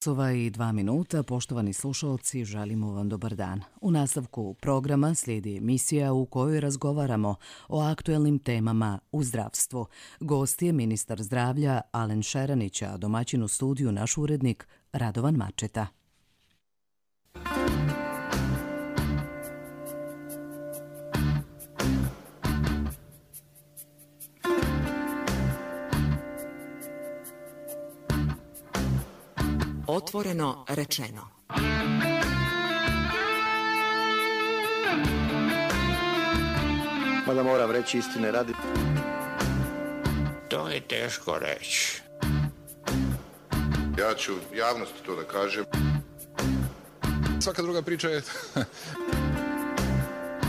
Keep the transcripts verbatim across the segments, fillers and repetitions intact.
Sova i dva minuta, poštovani slušalci, želimo vam dobar dan. U nastavku programa slijedi emisija u kojoj razgovaramo o aktuelnim temama u zdravstvu. Gost je ministar zdravlja Alen Šeranić, a domaćin u studiju naš urednik Radovan Mačeta. Otvoreno rečeno. Mada moram reći istine radi. To je teško reći. Ja ću javnosti to da kažem. Svaka druga priča je...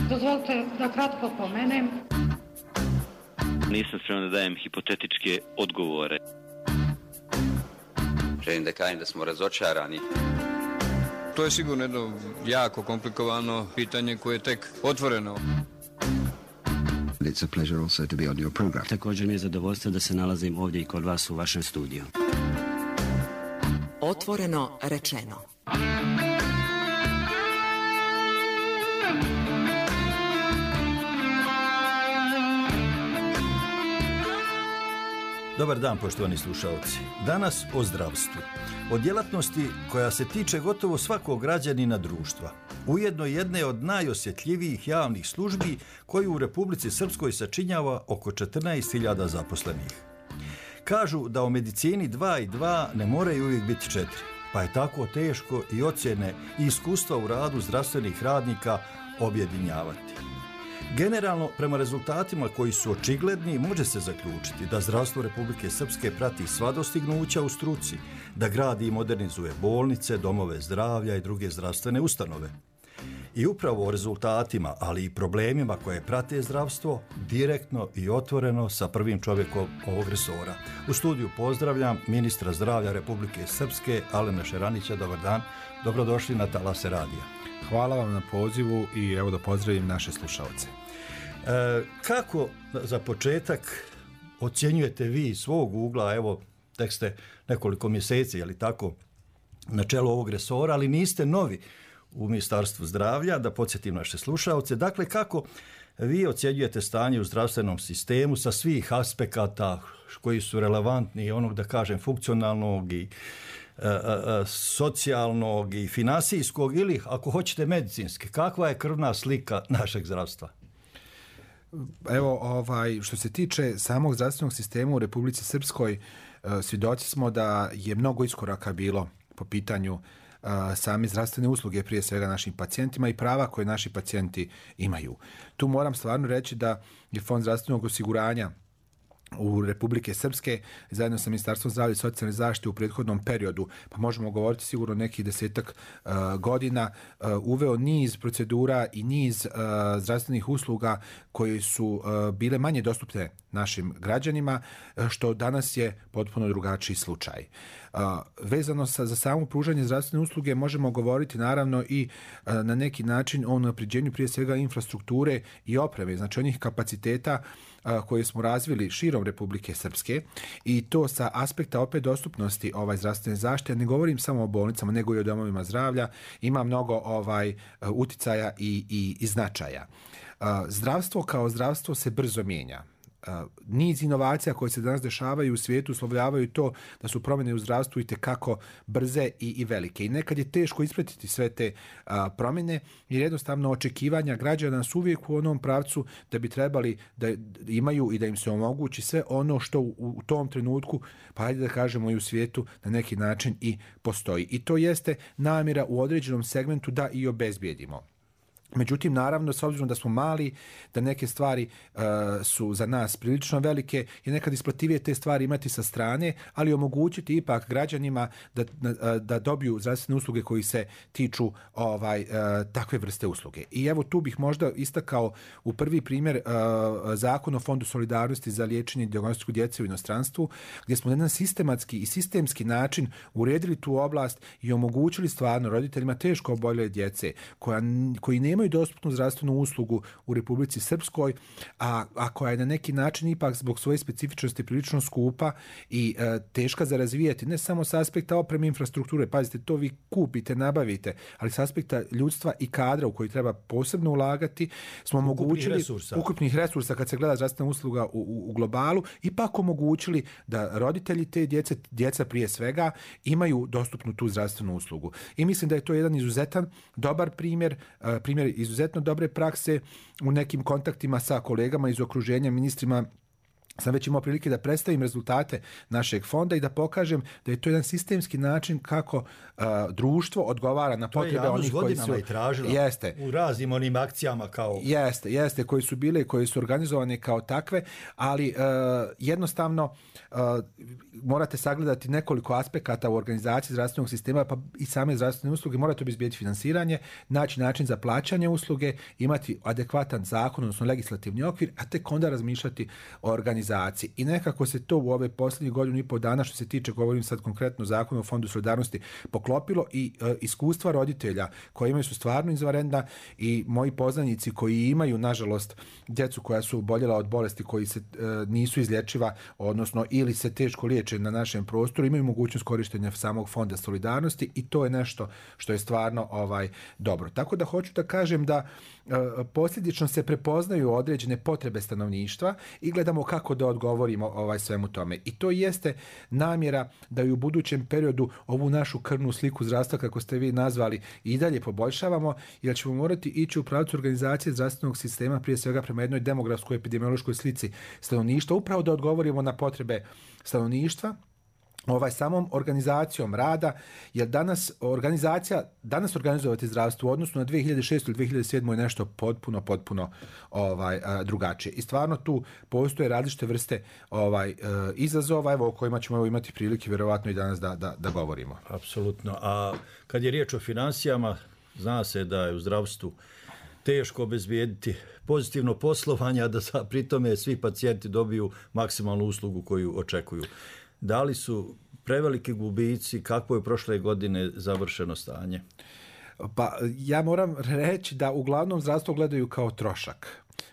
Dozvolite da kratko pomenem. Nisam spreman da dajem hipotetičke odgovore. Želim da kažem da smo razočarani. To je sigurno jedno jako komplikovano pitanje koje je tek otvoreno. It's a pleasure also to be on your program. Također mi je zadovoljstvo da se nalazim ovdje i kod vas u vašem studiju. Otvoreno rečeno. Dobar dan, poštovani slušalci. Danas o zdravstvu. O djelatnosti koja se tiče gotovo svakog građanina društva. Ujedno jedne od najosjetljivijih javnih službi koju u Republici Srpskoj sačinjava oko četrnaest hiljada zaposlenih. Kažu da u medicini dva i dva ne moraju uvijek biti četiri, pa je tako teško i ocjene i iskustva u radu zdravstvenih radnika objedinjavati. Generalno, prema rezultatima koji su očigledni, može se zaključiti da zdravstvo Republike Srpske prati sva dostignuća u struci, da gradi i modernizuje bolnice, domove zdravlja i druge zdravstvene ustanove. I upravo o rezultatima, ali i problemima koje prate zdravstvo, direktno i otvoreno sa prvim čovjekom ovog resora. U studiju pozdravljam ministra zdravlja Republike Srpske, Alena Šeranića. Dobar dan, dobrodošli na Talase radija. Hvala vam na pozivu i evo da pozdravim naše slušalce. E, kako za početak ocjenjujete vi svog ugla, evo tek ste nekoliko mjeseci, je li tako, na čelu ovog resora, ali niste novi u Ministarstvu zdravlja, da podsjetim naše slušalce. Dakle, kako vi ocjenjujete stanje u zdravstvenom sistemu sa svih aspekata koji su relevantni, onog da kažem funkcionalnog i e, e, socijalnog i finansijskog ili ako hoćete medicinski, kakva je krvna slika našeg zdravstva? Evo, ovaj, što se tiče samog zdravstvenog sistema u Republici Srpskoj, svjedoci smo da je mnogo iskoraka bilo po pitanju uh, same zdravstvene usluge, prije svega našim pacijentima i prava koje naši pacijenti imaju. Tu moram stvarno reći da je Fond zdravstvenog osiguranja u Republike Srpske zajedno sa Ministarstvom zdravlja i socijalne zaštite u prethodnom periodu, pa možemo govoriti sigurno nekih desetak uh, godina, uh, uveo niz procedura i niz uh, zdravstvenih usluga koje su uh, bile manje dostupne našim građanima, što danas je potpuno drugačiji slučaj. Uh, vezano sa, za samo pružanje zdravstvene usluge možemo govoriti naravno i uh, na neki način o unapređenju prije svega infrastrukture i opreme, znači onih kapaciteta uh, koje smo razvili širom Republike Srpske i to sa aspekta opet dostupnosti ovaj zdravstvene zaštite. Ne govorim samo o bolnicama, nego i o domovima zdravlja. Ima mnogo ovaj uticaja i, i, i značaja. Uh, zdravstvo kao zdravstvo se brzo mijenja. Uh, niz inovacija koje se danas dešavaju u svijetu uslovljavaju to da su promjene u zdravstvu i tekako brze i, i velike. I nekad je teško ispratiti sve te uh, promjene jer jednostavno očekivanja građana su uvijek u onom pravcu da bi trebali da imaju i da im se omogući sve ono što u, u tom trenutku, pa hajde da kažemo i u svijetu, na neki način i postoji. I to jeste namjera u određenom segmentu da i obezbijedimo. Međutim, naravno, s obzirom da smo mali, da neke stvari uh, su za nas prilično velike, je nekad isplativije te stvari imati sa strane, ali omogućiti ipak građanima da, da, da dobiju zdravstvene usluge koji se tiču ovaj, uh, takve vrste usluge. I evo tu bih možda istakao u prvi primjer uh, Zakon o Fondu solidarnosti za liječenje i dijagnostiku djece u inostranstvu, gdje smo na jedan sistematski i sistemski način uredili tu oblast i omogućili stvarno roditeljima teško oboljele djece koja, koji nemaju nemaju dostupnu zdravstvenu uslugu u Republici Srpskoj, a, a koja je na neki način ipak zbog svoje specifičnosti prilično skupa i e, teška za razvijati, ne samo s aspekta opreme infrastrukture, pazite, to vi kupite, nabavite, ali s aspekta ljudstva i kadra u koji treba posebno ulagati, smo omogućili resursa. ukupnih resursa kad se gleda zdravstvena usluga u, u, u globalu, ipak omogućili da roditelji te djece, djeca prije svega, imaju dostupnu tu zdravstvenu uslugu. I mislim da je to jedan izuzetan, dobar primjer, primjer izuzetno dobre prakse u nekim kontaktima sa kolegama iz okruženja, ministrima. Sam već imao prilike da predstavim rezultate našeg fonda i da pokažem da je to jedan sistemski način kako uh, društvo odgovara na potrebe onih koji su... i tražila jeste, u raznim onim akcijama kao... Jeste, jeste, koji su bile, koji su organizovane kao takve, ali uh, jednostavno uh, morate sagledati nekoliko aspekata u organizaciji zdravstvenog sistema, pa i same zdravstvene usluge. Morate obezbijeti finansiranje, naći način za plaćanje usluge, imati adekvatan zakon, odnosno legislativni okvir, a tek onda razmišljati o organizaciji. I nekako se to u ove posljednje godinu i pol dana, što se tiče, govorim sad konkretno zakonu o Fondu solidarnosti, poklopilo i e, iskustva roditelja koji imaju su stvarno izvanredna i moji poznanici koji imaju, nažalost, djecu koja su oboljela od bolesti koji se e, nisu izlječiva, odnosno ili se teško liječe na našem prostoru, imaju mogućnost korištenja samog Fonda solidarnosti i to je nešto što je stvarno ovaj dobro. Tako da hoću da kažem da e, posljedično se prepoznaju određene potrebe stanovništva i gledamo kako da odgovorimo ovaj svemu tome. I to jeste namjera da i u budućem periodu ovu našu krvnu sliku zdravstva, kako ste vi nazvali, i dalje poboljšavamo, jer ćemo morati ići u pravcu organizacije zdravstvenog sistema, prije svega prema jednoj demografskoj epidemiološkoj slici stanovništva, upravo da odgovorimo na potrebe stanovništva, ovaj samom organizacijom rada, jer danas organizacija, danas organizovati zdravstvo u odnosu na dvije hiljade šestu ili dvije hiljade sedmu je nešto potpuno, potpuno ovaj, drugačije. I stvarno tu postoje različite vrste ovaj, izazova, evo, o kojima ćemo imati prilike vjerovatno i danas da, da, da govorimo. Apsolutno. A kad je riječ o financijama, zna se da je u zdravstvu teško obezbijediti pozitivno poslovanje, a da pri tome svi pacijenti dobiju maksimalnu uslugu koju očekuju. Da li su preveliki gubici, kako je prošle godine završeno stanje? Pa ja moram reći da uglavnom zdravstvo gledaju kao trošak.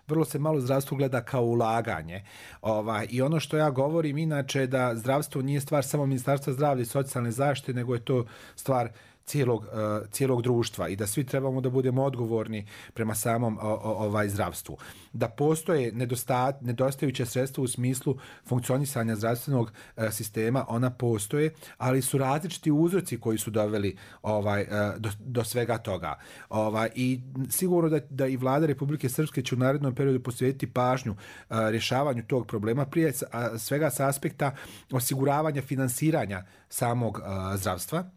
Vrlo se malo zdravstvo gleda kao ulaganje. Ovaj, I ono što ja govorim inače da zdravstvo nije stvar samo Ministarstva zdravlja i socijalne zaštite, nego je to stvar cijelog, uh, cijelog društva i da svi trebamo da budemo odgovorni prema samom o, o, ovaj zdravstvu. Da postoje nedostat, nedostajuće sredstva u smislu funkcionisanja zdravstvenog uh, sistema, ona postoje, ali su različiti uzroci koji su doveli ovaj, uh, do, do svega toga. Ovaj, I sigurno da, da i vlada Republike Srpske će u narednom periodu posvetiti pažnju uh, rješavanju tog problema, prije uh, svega sa aspekta osiguravanja finansiranja samog uh, zdravstva,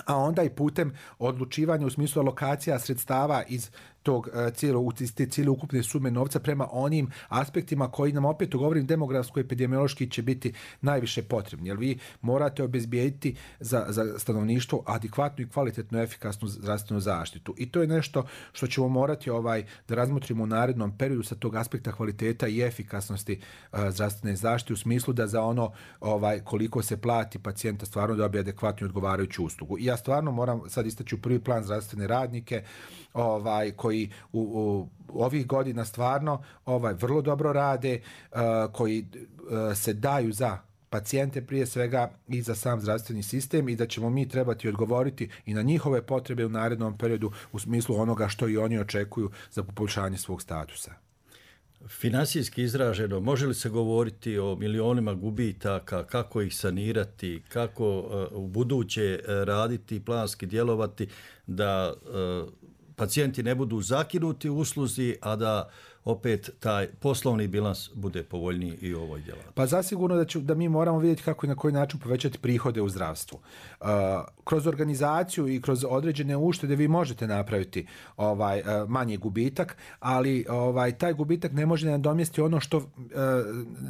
a onda i putem odlučivanja u smislu alokacija sredstava iz tog cijelo, te cijele ukupne sume novca prema onim aspektima koji nam, opet govorim, demografsko-epidemiološki će biti najviše potrebni. Jer vi morate obezbijediti za, za stanovništvo adekvatnu i kvalitetnu efikasnu zdravstvenu zaštitu. I to je nešto što ćemo morati ovaj, da razmotrimo u narednom periodu sa tog aspekta kvaliteta i efikasnosti uh, zdravstvene zaštite, u smislu da za ono ovaj, koliko se plati pacijenta stvarno dobije adekvatnu i odgovarajuću uslugu. I ja stvarno moram sad istaći u prvi plan zdravstvene radnike ovaj, koji u, u ovih godina stvarno ovaj vrlo dobro rade, uh, koji uh, se daju za pacijente prije svega i za sam zdravstveni sistem i da ćemo mi trebati odgovoriti i na njihove potrebe u narednom periodu u smislu onoga što i oni očekuju za poboljšanje svog statusa. Finansijski izraženo, može li se govoriti o milionima gubitaka, kako ih sanirati, kako uh, u buduće uh, raditi i planski djelovati da uh, pacijenti ne budu zakinuti u usluzi, a da opet taj poslovni bilans bude povoljniji i u ovoj djelatnosti? Pa zasigurno da, ću, da mi moramo vidjeti kako i na koji način povećati prihode u zdravstvu. Uh, kroz organizaciju i kroz određene uštede vi možete napraviti ovaj, uh, manji gubitak, ali ovaj, taj gubitak ne može nadomjestiti ono što uh,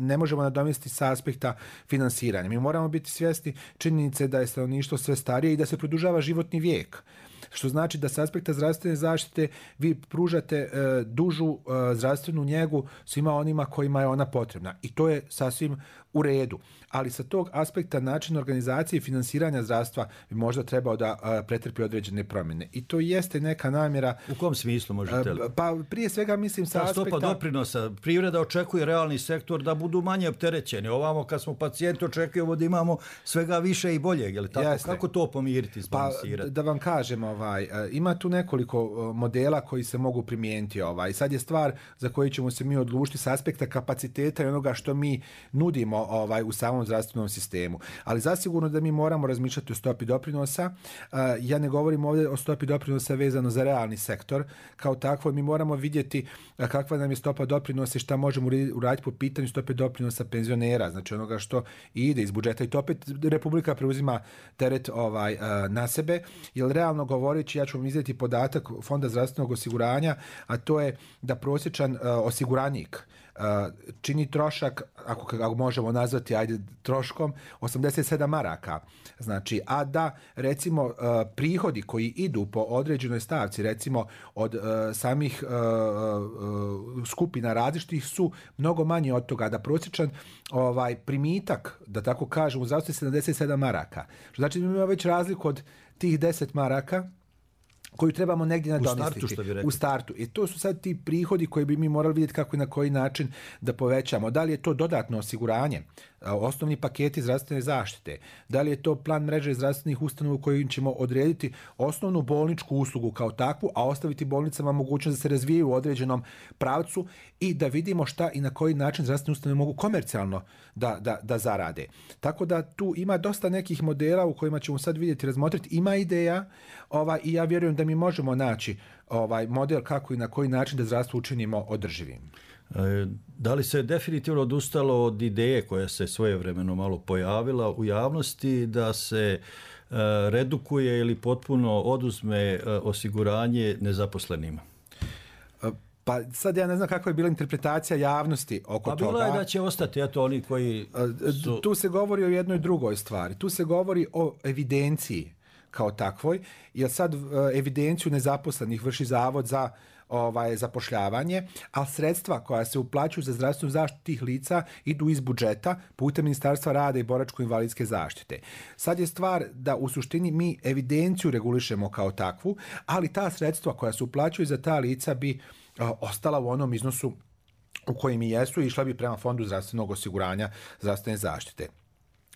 ne možemo nadomjestiti sa aspekta finansiranja. Mi moramo biti svjesni činjenice da je stanovništvo sve starije i da se produžava životni vijek. što znači da s aspekta zdravstvene zaštite vi pružate e, dužu e, zdravstvenu njegu svima onima kojima je ona potrebna. I to je sasvim u redu. Ali sa tog aspekta način organizacije i finansiranja zdravstva bi možda trebao da a, pretrpi određene promjene. I to jeste neka namjera... U kom smislu možete li? Pa prije svega mislim sa ta aspekta... stopa doprinosa. Privreda očekuje realni sektor da budu manje opterećeni. Ovamo kad smo pacijenti očekujemo da imamo svega više i boljeg. Je li tako? Jeste. Kako to pomiriti, Pa izbalansirati? da vam kažem, ovaj, ima tu nekoliko modela koji se mogu primijeniti. Ovaj. Sad je stvar za koju ćemo se mi odlučiti s aspekta kapaciteta i onoga što mi nudimo ovaj, u samom zdravstvenom sistemu. Ali zasigurno da mi moramo razmišljati o stopi doprinosa. Ja ne govorim ovdje o stopi doprinosa vezano za realni sektor. Kao takvo mi moramo vidjeti kakva nam je stopa doprinosa i šta možemo uraditi po pitanju stope doprinosa penzionera, znači onoga što ide iz budžeta. I to opet Republika preuzima teret ovaj, na sebe, jer realno govoreći, ja ću vam izdati podatak Fonda zdravstvenog osiguranja, a to je da prosječan uh, osiguranik uh, čini trošak, ako, ako možemo nazvati ajde troškom, osamdeset sedam maraka. Znači, a da recimo uh, prihodi koji idu po određenoj stavci, recimo od uh, samih uh, uh, skupina različitih su mnogo manje od toga, da prosječan ovaj primitak, da tako kažem, u zdravstvu je sedamdeset sedam maraka. Što znači da imamo već razliku od tih deset maraka koju trebamo negdje nadomestiti. U startu, što bi rekli. U startu. I to su sad ti prihodi koji bi mi morali vidjeti kako i na koji način da povećamo. Da li je to dodatno osiguranje, osnovni paketi zdravstvene zaštite, da li je to plan mreže zdravstvenih ustanova u kojim ćemo odrediti osnovnu bolničku uslugu kao takvu, a ostaviti bolnicama mogućnost da se razvijaju u određenom pravcu i da vidimo šta i na koji način zdravstvene ustanove mogu komercijalno da, da, da zarade. Tako da tu ima dosta nekih modela u kojima ćemo sad vidjeti, razmotriti. Ima ideja ovaj, i ja vjerujem da mi možemo naći ovaj model kako i na koji način da zdravstvo učinimo održivim. Da li se definitivno odustalo od ideje koja se svojevremeno malo pojavila u javnosti da se redukuje ili potpuno oduzme osiguranje nezaposlenima? Pa sad ja ne znam kakva je bila interpretacija javnosti oko pa toga. Pa bilo je da će ostati, eto oni koji su... Tu se govori o jednoj drugoj stvari. Tu se govori o evidenciji kao takvoj, jer sad evidenciju nezaposlenih vrši Zavod za ovaj, zapošljavanje, a sredstva koja se uplaćuju za zdravstvenu zaštitu tih lica idu iz budžeta putem Ministarstva rada i boračko-invalidske zaštite. Sad je stvar da u suštini mi evidenciju regulišemo kao takvu, ali ta sredstva koja se uplaćuju za ta lica bi a, ostala u onom iznosu u kojim i jesu i išla bi prema Fondu zdravstvenog osiguranja zdravstvene zaštite.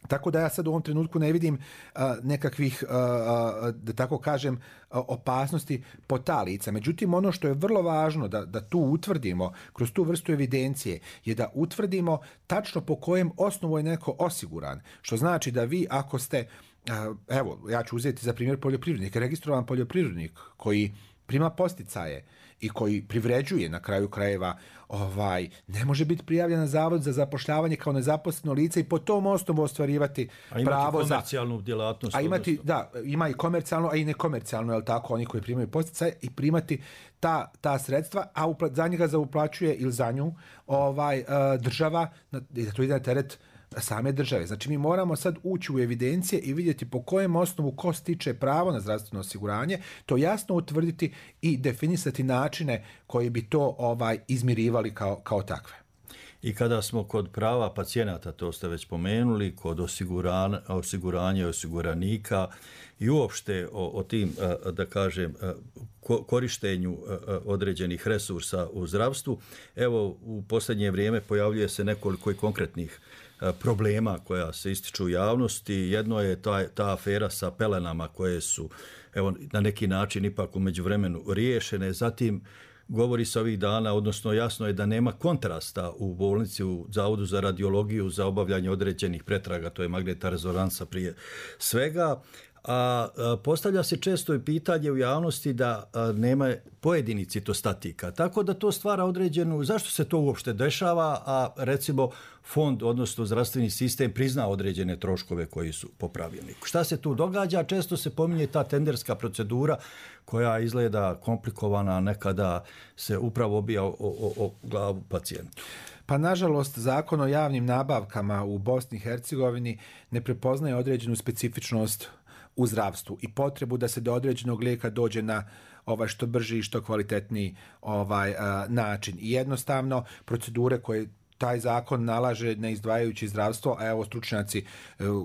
Tako da ja sad u ovom trenutku ne vidim uh, nekakvih, uh, uh, da tako kažem, uh, opasnosti po ta lica. Međutim, ono što je vrlo važno da, da tu utvrdimo, kroz tu vrstu evidencije, je da utvrdimo tačno po kojem osnovu je neko osiguran. Što znači da vi ako ste, uh, evo, ja ću uzeti za primjer poljoprivrednik, registrovan poljoprivrednik koji prima posticaje i koji privređuje na kraju krajeva, ovaj, ne može biti prijavljen na Zavod za zapošljavanje kao nezaposleno lice i po tom osnovu ostvarivati pravo za... A imati komercijalnu djelatnost. A imati, da, ima i komercijalno, a i nekomercijalno, je li tako, oni koji primaju posticaje i primati ta, ta sredstva, a upla, za njega zauplaćuje ili za nju ovaj, uh, država, i da to ide na teret same države. Znači mi moramo sad ući u evidencije i vidjeti po kojem osnovu ko stiče pravo na zdravstveno osiguranje, to jasno utvrditi i definisati načine koji bi to ovaj izmirivali kao, kao takve. I kada smo kod prava pacijenata, to ste već pomenuli, kod osiguranja, osiguranja osiguranika i uopšte o, o tim, da kažem, korištenju određenih resursa u zdravstvu, evo u posljednje vrijeme pojavljuje se nekoliko i konkretnih problema koja se ističu u javnosti. Jedno je ta, ta afera sa pelenama koje su evo, na neki način ipak u međuvremenu riješene. Zatim govori se ovih dana, odnosno jasno je da nema kontrasta u bolnici, u Zavodu za radiologiju za obavljanje određenih pretraga, to je magnetna rezonansa prije svega. A, a postavlja se često i pitanje u javnosti da a, nema pojedini citostatika. Tako da to stvara određenu, zašto se to uopšte dešava, a recimo fond, odnosno zdravstveni sistem prizna određene troškove koji su po pravilniku. Šta se tu događa? Često se pominje ta tenderska procedura koja izgleda komplikovana, nekada se upravo obija o, o, o glavu pacijentu. Pa nažalost zakon o javnim nabavkama u Bosni i Hercegovini ne prepoznaje određenu specifičnost u zdravstvu i potrebu da se do određenog lijeka dođe na ovaj što brži i što kvalitetniji ovaj a, način. I jednostavno procedure koje taj zakon nalaže ne izdvajajući zdravstvo, a evo stručnjaci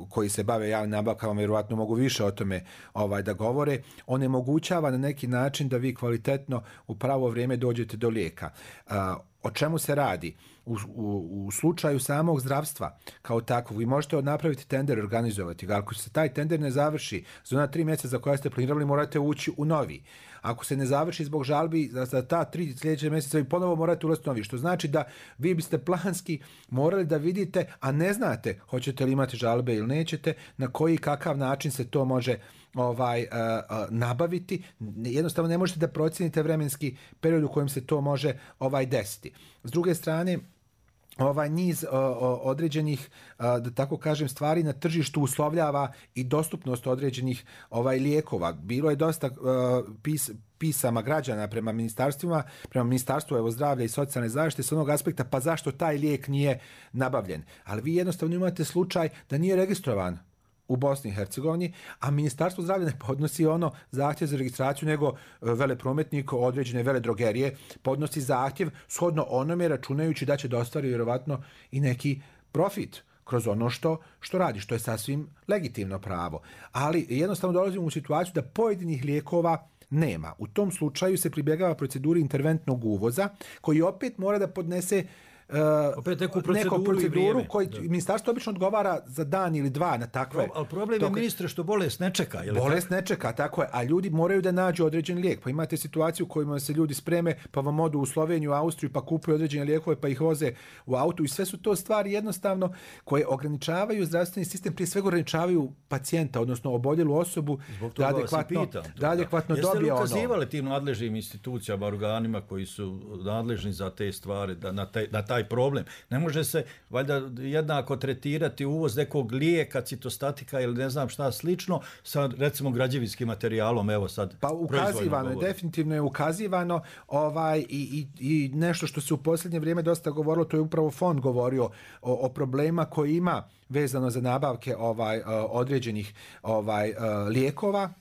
koji se bave javnim nabavkama vjerovatno mogu više o tome ovaj da govore, onemogućava na neki način da vi kvalitetno u pravo vrijeme dođete do lijeka. A, o čemu se radi? U, u, u slučaju samog zdravstva kao takvog, vi možete napraviti tender, organizovati ga. Ako se taj tender ne završi za ona tri mjeseca za koja ste planirali, morate ući u novi. Ako se ne završi zbog žalbi, za, za ta tri sljedeće mjeseca vi ponovo morate ulaziti u novi. Što znači da vi biste planski morali da vidite, a ne znate hoćete li imati žalbe ili nećete, na koji kakav način se to može ovaj uh, uh, nabaviti. Jednostavno ne možete da procijenite vremenski period u kojem se to može ovaj desiti. S druge strane, ovaj niz o, o, određenih, a, da tako kažem, stvari na tržištu uslovljava i dostupnost određenih ovaj lijekova. Bilo je dosta a, pis, pisama građana prema ministarstvima, prema ministarstvu evo zdravlja i socijalne zaštite s onog aspekta pa zašto taj lijek nije nabavljen. Ali vi jednostavno imate slučaj da nije registrovan u Bosni i Hercegovini, a Ministarstvo zdravlja ne podnosi ono zahtjev za registraciju, nego veleprometnik određene veledrogerije podnosi zahtjev shodno onome računajući da će da ostvari vjerovatno i neki profit kroz ono što, što radi, što je sasvim legitimno pravo. Ali jednostavno dolazimo u situaciju da pojedinih lijekova nema. U tom slučaju se pribjegava proceduri interventnog uvoza, koji opet mora da podnese Uh, opet neku proceduru, proceduru koji ministarstvo obično odgovara za dan ili dva na takve. Ali problem je, ministre, što bolest ne čeka. Je li bolest tako? ne čeka, tako je, a ljudi moraju da nađu određen lijek. Pa imate situaciju u kojima se ljudi spreme, pa vam odu u Sloveniju, Austriju, pa kupuju određene lijekove, pa ih voze u autu i sve su to stvari jednostavno koje ograničavaju zdravstveni sistem, prije svega ograničavaju pacijenta, odnosno oboljelu osobu da adekvatno, pitam, da adekvatno Jeste dobije ono. Jeste li ukazivali tim nadležnim institucijama, organima koji su nadležni za te stvari, da, na, taj, na taj problem? Ne može se valjda jednako tretirati uvoz nekog lijeka, citostatika ili ne znam šta slično sa recimo građevinskim materijalom, evo sad. Pa ukazivano je, definitivno je ukazivano ovaj, i, i, i nešto što se u posljednje vrijeme dosta govorilo, to je upravo fond govorio o, o problema koji ima vezano za nabavke ovaj, određenih ovaj, lijekova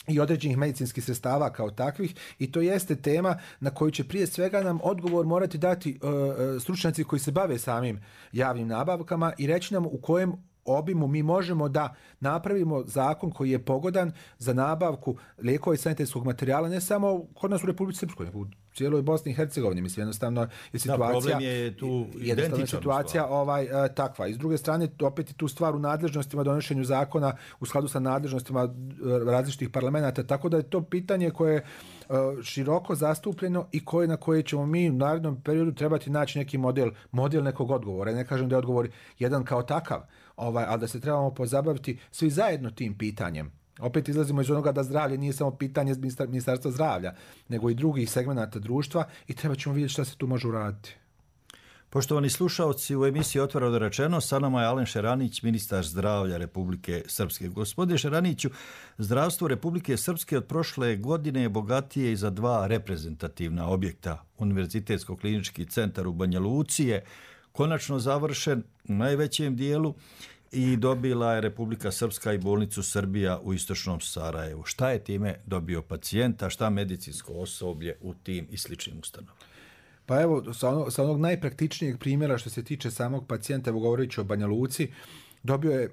i određenih medicinskih sredstava kao takvih, i to jeste tema na koju će prije svega nam odgovor morati dati uh, stručnjaci koji se bave samim javnim nabavkama i reći nam u kojem obimu mi možemo da napravimo zakon koji je pogodan za nabavku lijekova i sanitetskog materijala, ne samo kod nas u Republici Srpskoj, nego u cijeloj Bosni i Hercegovini. Mislim, jednostavno je situacija, da, problem je tu jednostavno situacija ovaj, uh, takva. I s druge strane, opet je tu stvar u nadležnostima, donošenju zakona u skladu sa nadležnostima uh, različitih parlamenta, tako da je to pitanje koje je uh, široko zastupljeno i koje na koje ćemo mi u narednom periodu trebati naći neki model, model nekog odgovora. Ne kažem da je odgovor jedan kao takav, ovaj, ali da se trebamo pozabaviti svi zajedno tim pitanjem. Opet izlazimo iz onoga da zdravlje nije samo pitanje ministarstva zdravlja, nego i drugih segmenata društva i treba ćemo vidjeti šta se tu može uraditi. Poštovani slušaoci, u emisiji Otvoreno rečeno, sa nama je Alen Šeranić, ministar zdravlja Republike Srpske. Gospodine Šeraniću, zdravstvo Republike Srpske od prošle godine je bogatije i za dva reprezentativna objekta. Univerzitetsko-klinički centar u Banja Luci je konačno završen u najvećem dijelu i dobila je Republika Srpska i bolnicu Srbija u istočnom Sarajevu. Šta je time dobio pacijenta, šta medicinsko osoblje u tim i sličnim ustanovama? Pa evo, sa onog, sa onog najpraktičnijeg primjera što se tiče samog pacijenta, evo govoreći o Banja Luci, dobio je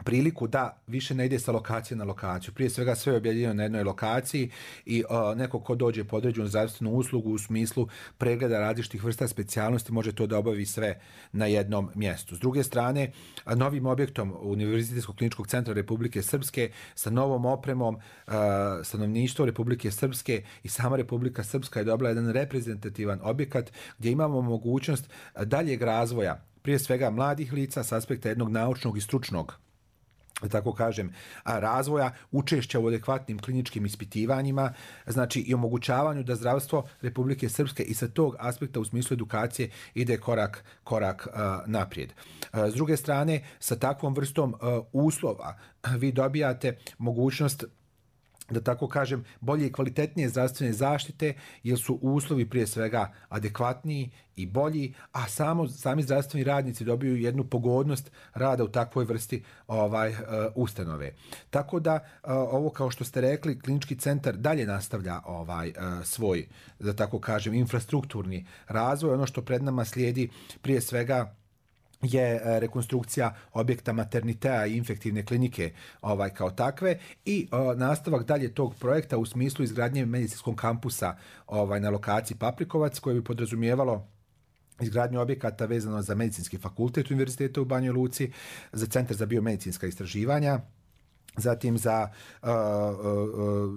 priliku da više ne ide sa lokacije na lokaciju. Prije svega sve je objedinjeno na jednoj lokaciji i uh, neko ko dođe po određenu zdravstvenu uslugu u smislu pregleda različitih vrsta specijalnosti može to da obavi sve na jednom mjestu. S druge strane, novim objektom Univerzitetskog kliničkog centra Republike Srpske sa novom opremom uh, stanovništvo Republike Srpske i sama Republika Srpska je dobila jedan reprezentativan objekat gdje imamo mogućnost daljeg razvoja, prije svega mladih lica s aspekta jednog naučnog i stručnog, da tako kažem, razvoja, učešća u adekvatnim kliničkim ispitivanjima, znači i omogućavanju da zdravstvo Republike Srpske i sa tog aspekta u smislu edukacije ide korak, korak uh, naprijed. Uh, s druge strane, sa takvom vrstom uh, uslova vi dobijate mogućnost da tako kažem, bolje i kvalitetnije zdravstvene zaštite, jer su uslovi prije svega adekvatniji i bolji, a samo sami zdravstveni radnici dobiju jednu pogodnost rada u takvoj vrsti ovaj uh, ustanove. Tako da uh, ovo, kao što ste rekli, klinički centar dalje nastavlja ovaj uh, svoj, da tako kažem, infrastrukturni razvoj. Ono što pred nama slijedi prije svega je rekonstrukcija objekta maternitea i infektivne klinike ovaj kao takve i o, nastavak dalje tog projekta u smislu izgradnje medicinskog kampusa ovaj na lokaciji Paprikovac, koje bi podrazumijevalo izgradnju objekata vezano za medicinski fakultet Univerziteta u Banjoj Luci, za centar za biomedicinska istraživanja, zatim za uh, uh,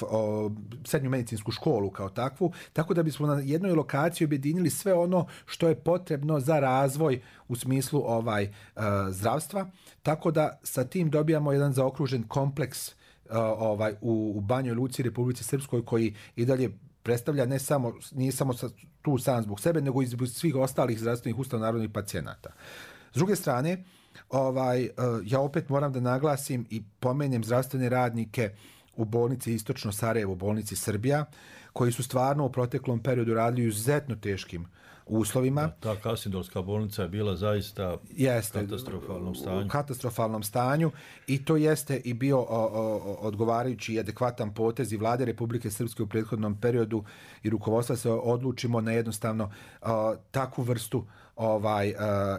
O, srednju medicinsku školu kao takvu, tako da bismo na jednoj lokaciji objedinili sve ono što je potrebno za razvoj u smislu ovaj uh, zdravstva, tako da sa tim dobijamo jedan zaokružen kompleks uh, ovaj u, u Banjoj Luci, Republici Srpskoj, koji i dalje predstavlja ne samo, nije samo tu sam zbog sebe, nego i zbog svih ostalih zdravstvenih ustanova narodnih pacijenata. S druge strane, ovaj, uh, ja opet moram da naglasim i pomenem zdravstvene radnike u bolnici Istočno Sarajevo, u bolnici Srbija, koji su stvarno u proteklom periodu radili u izuzetno teškim uslovima. Da, ta Kasindolska bolnica je bila zaista jeste, u katastrofalnom stanju. U katastrofalnom stanju i to jeste i bio o, o, odgovarajući i adekvatan potez i Vlade Republike Srpske u prethodnom periodu i rukovodstva se odlučimo na jednostavno o, takvu vrstu ovaj o,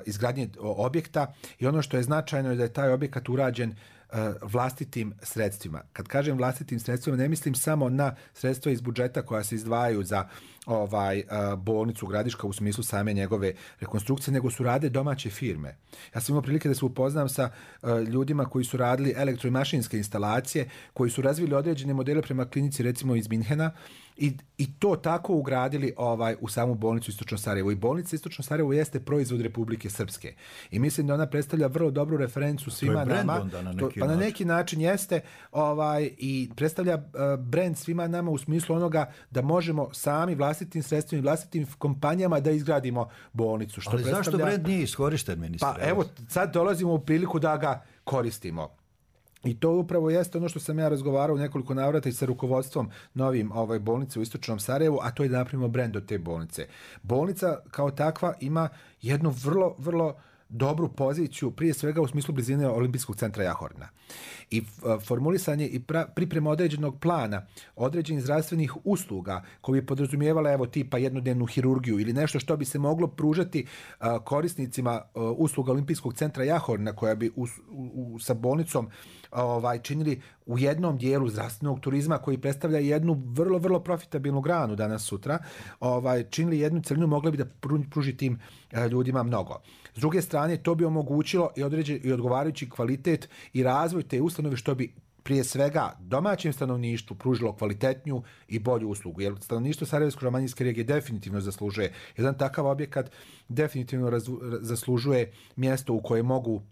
izgradnje objekta i ono što je značajno je da je taj objekat urađen vlastitim sredstvima. Kad kažem vlastitim sredstvima, ne mislim samo na sredstva iz budžeta koja se izdvajaju za ovaj bolnicu Gradiška u smislu same njegove rekonstrukcije, nego su rade domaće firme. Ja sam imao prilike da se upoznam sa ljudima koji su radili elektro- i mašinske instalacije, koji su razvili određene modele prema klinici, recimo iz Minhena, i, i to tako ugradili ovaj u samu bolnicu Istočno Sarajevo. I bolnica Istočno Sarajevo jeste proizvod Republike Srpske. I mislim da ona predstavlja vrlo dobru referencu svima nama. Na to, pa na neki način jeste ovaj i predstavlja uh, brend svima nama u smislu onoga da možemo sami vlastitim sredstvima i vlastitim kompanijama da izgradimo bolnicu. Što ali predstavlja... zašto brend nije iskorišten, ministre? Pa evo, sad dolazimo u priliku da ga koristimo. I to upravo jeste ono što sam ja razgovarao u nekoliko navrata i sa rukovodstvom novim ovaj, bolnice u Istočnom Sarajevu, a to je da napravimo brend od te bolnice. Bolnica kao takva ima jednu vrlo, vrlo dobru poziciju, prije svega u smislu blizine Olimpijskog centra Jahorna. I formulisanje i pra, priprema određenog plana, određenih zdravstvenih usluga koji bi podrazumijevale evo tipa jednodnevnu hirurgiju ili nešto što bi se moglo pružati uh, korisnicima uh, usluga Olimpijskog centra Jahorna, koja bi u, u, sa bolnicom ovaj činili u jednom dijelu zdravstvenog turizma koji predstavlja jednu vrlo, vrlo profitabilnu granu danas sutra, ovaj činili jednu celinu, mogli bi da pruži tim uh, ljudima mnogo. S druge strane, to bi omogućilo i, određen, i odgovarajući kvalitet i razvoj te ustanove, što bi prije svega domaćem stanovništvu pružilo kvalitetniju i bolju uslugu. Jer stanovništvo Sarajevsko-romanijske regije definitivno zaslužuje jedan takav objekat, definitivno razvu, zaslužuje mjesto u koje mogu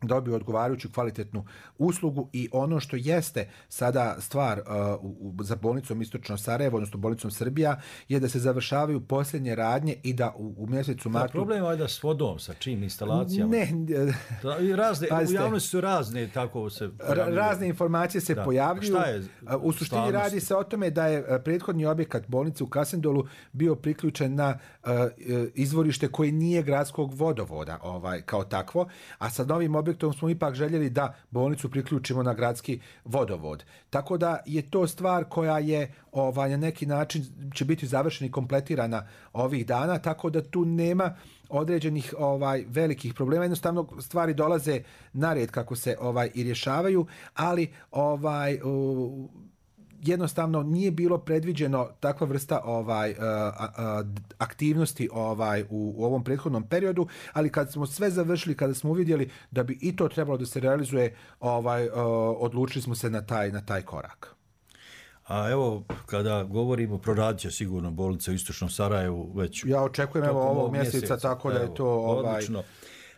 dobiju odgovarajuću kvalitetnu uslugu. I ono što jeste sada stvar uh, u, za bolnicom Istočno Sarajevo, odnosno bolnicom Srbija, je da se završavaju posljednje radnje i da u, u mjesecu martu... Problem je da s vodom, sa čim instalacijama? Ne. Da, i razne, u javnosti su razne, tako se pojavljuju. Razne informacije se da. pojavljuju. Šta je u suštini stvarnosti? Radi se o tome da je prethodni objekat bolnice u Kasendolu bio priključen na uh, izvorište koje nije gradskog vodovoda ovaj, kao takvo, a sa novim objektom smo ipak željeli da bolnicu priključimo na gradski vodovod. Tako da je to stvar koja je ovaj, na neki način će biti završena i kompletirana ovih dana, tako da tu nema određenih ovaj velikih problema. Jednostavno stvari dolaze na red kako se ovaj i rješavaju, ali ovaj uh, jednostavno nije bilo predviđeno takva vrsta ovaj uh, uh, aktivnosti ovaj u, u ovom prethodnom periodu, ali kad smo sve završili, kada smo uvidjeli da bi i to trebalo da se realizuje, ovaj uh, odlučili smo se na taj na taj korak. A evo, kada govorimo, proradit će sigurno bolnica u Istočnom Sarajevu već... Ja očekujem evo ovog mjeseca, mjeseca, tako da je to... Ovaj... Odlično.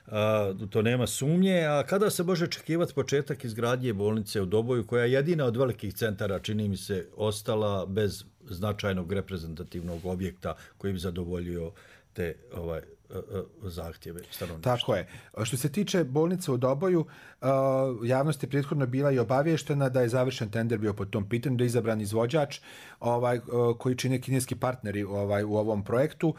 A, to nema sumnje. A kada se može očekivati početak izgradnje bolnice u Doboju, koja je jedina od velikih centara, čini mi se, ostala bez značajnog reprezentativnog objekta koji bi zadovoljio te ovaj, zahtjeve stanovništva. Tako je. Što se tiče bolnice u Doboju, javnost je prethodno bila i obavještena da je završen tender bio po tom pitanju, da je izabran izvođač ovaj, koji čine kineski partneri ovaj, u ovom projektu.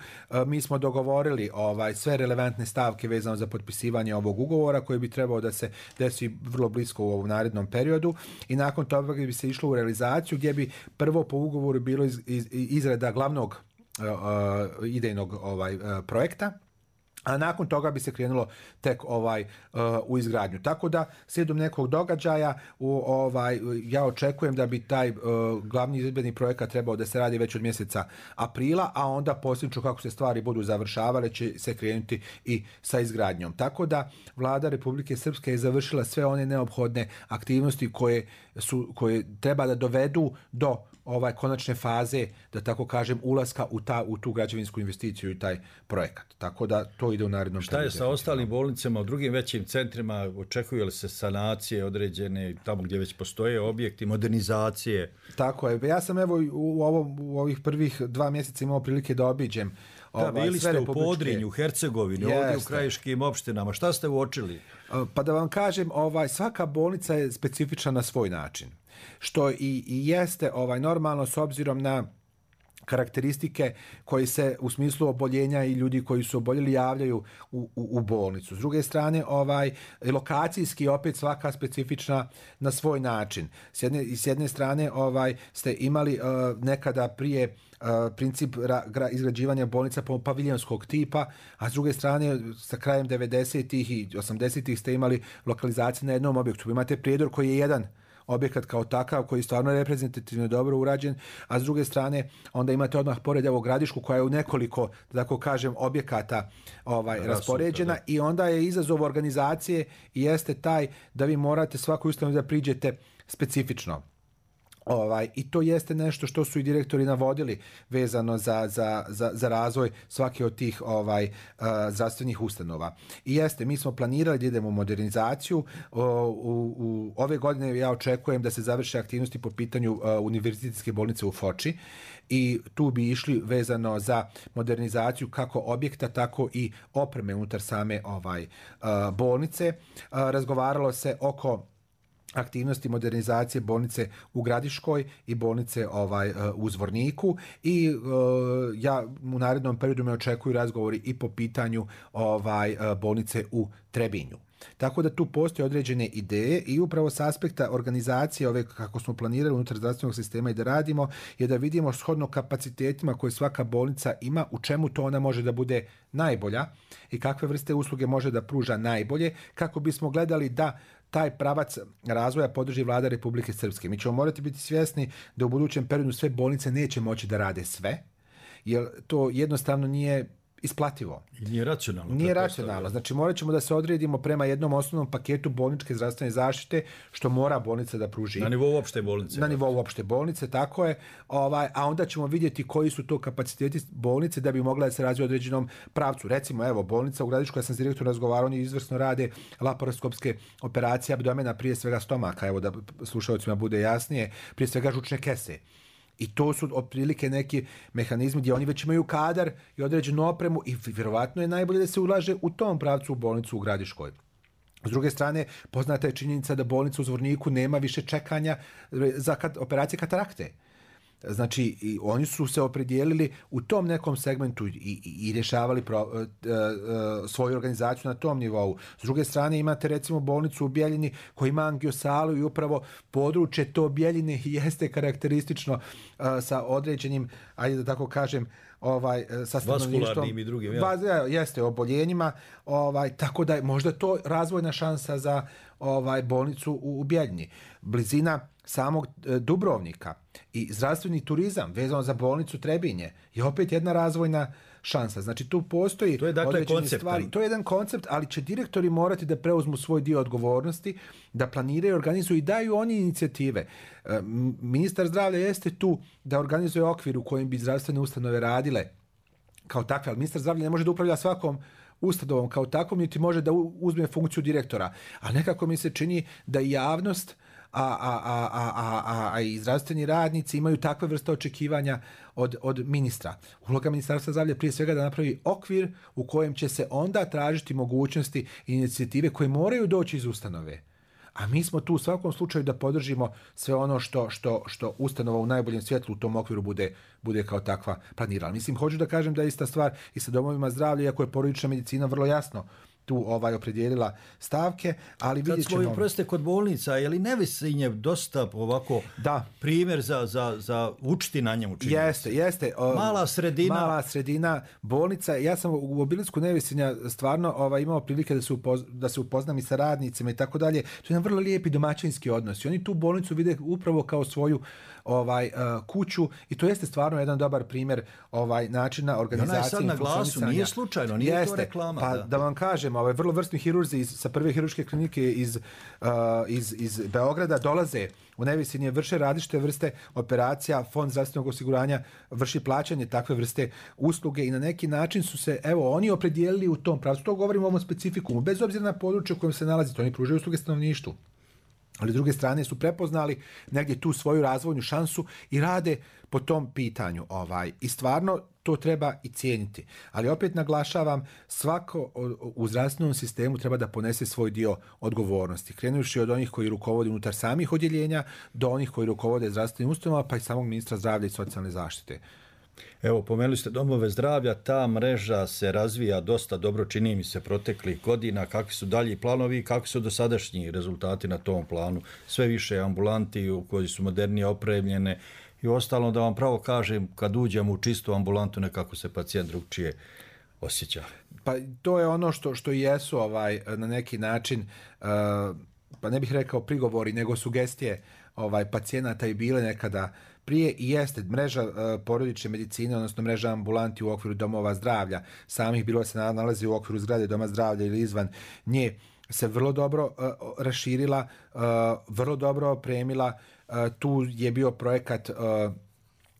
Mi smo dogovorili ovaj, sve relevantne stavke vezano za potpisivanje ovog ugovora koji bi trebao da se desi vrlo blisko u ovom narednom periodu i nakon toga bi se išlo u realizaciju gdje bi prvo po ugovoru bilo iz, iz, izrada glavnog uh, idejnog ovaj, uh, projekta, a nakon toga bi se krenulo tek ovaj uh, u izgradnju. Tako da slijedom nekog događaja u, ovaj ja očekujem da bi taj uh, glavni izvedbeni projekat trebao da se radi već od mjeseca aprila, a onda posljedično kako se stvari budu završavale će se krenuti i sa izgradnjom. Tako da Vlada Republike Srpske je završila sve one neophodne aktivnosti koje su koje treba da dovedu do ovaj konačne faze, da tako kažem, ulaska u, ta, u tu građevinsku investiciju i taj projekat. Tako da to ide u narednom periodu. Šta je sa ostalim bolnicama u drugim većim centrima? Očekuju li se sanacije određene tamo gdje već postoje objekti, modernizacije? Tako je. Ja sam evo u, ovom, u ovih prvih dva mjeseca imao prilike da obiđem. Da, ovaj, bili ste u Podrinju, u Hercegovini, Jeste. ovdje u krajiškim opštinama. Šta ste uočili? Pa da vam kažem, ovaj, svaka bolnica je specifična na svoj način. Što i, i jeste ovaj normalno s obzirom na karakteristike koji se u smislu oboljenja i ljudi koji su oboljeli javljaju u, u, u bolnicu. S druge strane, ovaj lokacijski opet svaka specifična na svoj način. S jedne, s jedne strane ovaj ste imali uh, nekada prije uh, princip ra, gra, izgrađivanja bolnica po paviljonskog tipa, a s druge strane sa krajem devedesetih i osamdesetih ste imali lokalizacije na jednom objektu. Imate Prijedor koji je jedan objekat kao takav koji je stvarno reprezentativno dobro urađen, a s druge strane onda imate odmah pored evo Gradišku koja je u nekoliko, da tako kažem, objekata ovaj, Rasuta, raspoređena da. I onda je izazov organizacije i jeste taj da vi morate svaku ustanovu da priđete specifično. Ovaj, i to jeste nešto što su i direktori navodili vezano za, za, za, za razvoj svake od tih ovaj, uh, zdravstvenih ustanova. I jeste, mi smo planirali da idemo u modernizaciju. Uh, u, u ove godine ja očekujem da se završe aktivnosti po pitanju uh, univerzitetske bolnice u Foči i tu bi išli vezano za modernizaciju kako objekta, tako i opreme unutar same ovaj, uh, bolnice. Uh, razgovaralo se oko aktivnosti modernizacije bolnice u Gradiškoj i bolnice ovaj u Zvorniku i uh, ja u narednom periodu me očekuju razgovori i po pitanju ovaj bolnice u Trebinju. Tako da tu postoje određene ideje i upravo s aspekta organizacije ove kako smo planirali unutar zdravstvenog sistema i da radimo je da vidimo shodno kapacitetima koje svaka bolnica ima, u čemu to ona može da bude najbolja i kakve vrste usluge može da pruža najbolje, kako bismo gledali da taj pravac razvoja podrži Vlada Republike Srpske. Mi ćemo morati biti svjesni da u budućem periodu sve bolnice neće moći da rade sve, jer to jednostavno nije isplativo. Nije racionalno. Nije racionalno. Znači morat ćemo da se odredimo prema jednom osnovnom paketu bolničke zdravstvene zaštite što mora bolnica da pruži. Na nivou opšte bolnice. Na nivou opšte bolnice, tako je. Ovaj, a onda ćemo vidjeti koji su to kapaciteti bolnice da bi mogla da se razvije u određenom pravcu. Recimo, evo, bolnica u Gradišku, ja sam s direktorom razgovarao, oni izvrsno rade laparoskopske operacije abdomena, prije svega stomaka, evo da slušalcima bude jasnije, prije svega žučne kese. I to su otprilike neki mehanizmi gdje oni već imaju kadar i određenu opremu i vjerovatno je najbolje da se ulaže u tom pravcu u bolnicu u Gradiškoj. S druge strane, poznata je činjenica da bolnica u Zvorniku nema više čekanja za kat- operacije katarakte. Znači, i oni su se opredijelili u tom nekom segmentu i, i, i rješavali pro, uh, uh, svoju organizaciju na tom nivou. S druge strane, imate recimo bolnicu u Bjeljini koja ima angiosalu i upravo područje to Bjeljine jeste karakteristično uh, sa određenim, ajde da tako kažem, ovaj sa vaskularnim i drugim, ja. Vas, jeste oboljenjima, ovaj tako da je možda to razvojna šansa za ovaj bolnicu u, u Bjeljini. Blizina samog e, Dubrovnika i zdravstveni turizam vezano za bolnicu Trebinje je opet jedna razvojna šansa. Znači tu postoji to je dakle koncept. Stvari. To je jedan koncept, ali će direktori morati da preuzmu svoj dio odgovornosti, da planiraju, organizuju i daju oni inicijative. E, ministar zdravlja jeste tu da organizuje okvir u kojem bi zdravstvene ustanove radile kao takve, ali ministar zdravlja ne može da upravlja svakom ustanovom kao takvom, niti može da uzme funkciju direktora. A nekako mi se čini da javnost a, a, a, a, a, a i zdravstveni radnici imaju takve vrste očekivanja od, od ministra. Uloga Ministarstva zdravlja prije svega da napravi okvir u kojem će se onda tražiti mogućnosti i inicijative koje moraju doći iz ustanove. A mi smo tu u svakom slučaju da podržimo sve ono što, što, što ustanova u najboljem svjetlu u tom okviru bude, bude kao takva planirala. Mislim, hoću da kažem da je ista stvar i sa domovima zdravlja, iako je porodična medicina vrlo jasno tu ovaj opredijelila stavke, ali vidjet ćemo... Kad smo, proste, kod bolnica, je li Nevesinje dosta ovako da. primjer za, za, za učiti na njemu? Jeste, jeste. O, mala sredina. Mala sredina, bolnica. Ja sam u obilisku Nevesinja stvarno ovaj, imao prilike da se, upoz, da se upoznam i sa radnicima i tako dalje. To je jedan vrlo lijepi domaćinski odnos. I oni tu bolnicu vide upravo kao svoju ovaj uh, kuću i to jeste stvarno jedan dobar primjer ovaj načina organizacije. Ona je sad na glasu, nije slučajno, nije jeste, to reklama. Pa da, da vam kažem, ovaj vrlo vrsni hirurzi iz, sa prve hirurške klinike iz, uh, iz, iz Beograda dolaze u Nevesinje, vrše različite vrste operacija, Fond zdravstvenog osiguranja vrši plaćanje takve vrste usluge i na neki način su se, evo, oni opredijelili u tom pravcu. To govorimo o ovom specifikumu, bez obzira na područje u kojem se nalazite, oni pružaju usluge stanovništvu. Ali s druge strane su prepoznali negdje tu svoju razvojnu šansu i rade po tom pitanju. Ovaj. I stvarno to treba i cijeniti. Ali opet naglašavam, svako u zdravstvenom sistemu treba da ponese svoj dio odgovornosti. Krenuši od onih koji rukovode unutar samih odjeljenja do onih koji rukovode zdravstvenim ustanovama, pa i samog ministra zdravlja i socijalne zaštite. Evo, pomenuli ste domove zdravlja, ta mreža se razvija dosta dobro, čini mi se, proteklih godina. Kakvi su dalji planovi i kakvi su dosadašnji rezultati na tom planu? Sve više ambulanti u koji su modernije opremljene i ostalo, da vam pravo kažem, kad uđemo u čistu ambulantu, nekako se pacijent drugčije osjeća. Pa to je ono što, što jesu ovaj, na neki način, uh, pa ne bih rekao prigovori, nego sugestije ovaj, pacijenata i bile nekada prije i jeste mreža uh, porodične medicine, odnosno mreža ambulanti u okviru domova zdravlja, samih bilo se nalazi u okviru zgrade doma zdravlja ili izvan nje, se vrlo dobro uh, raširila, uh, vrlo dobro opremila. Uh, tu je bio projekat uh,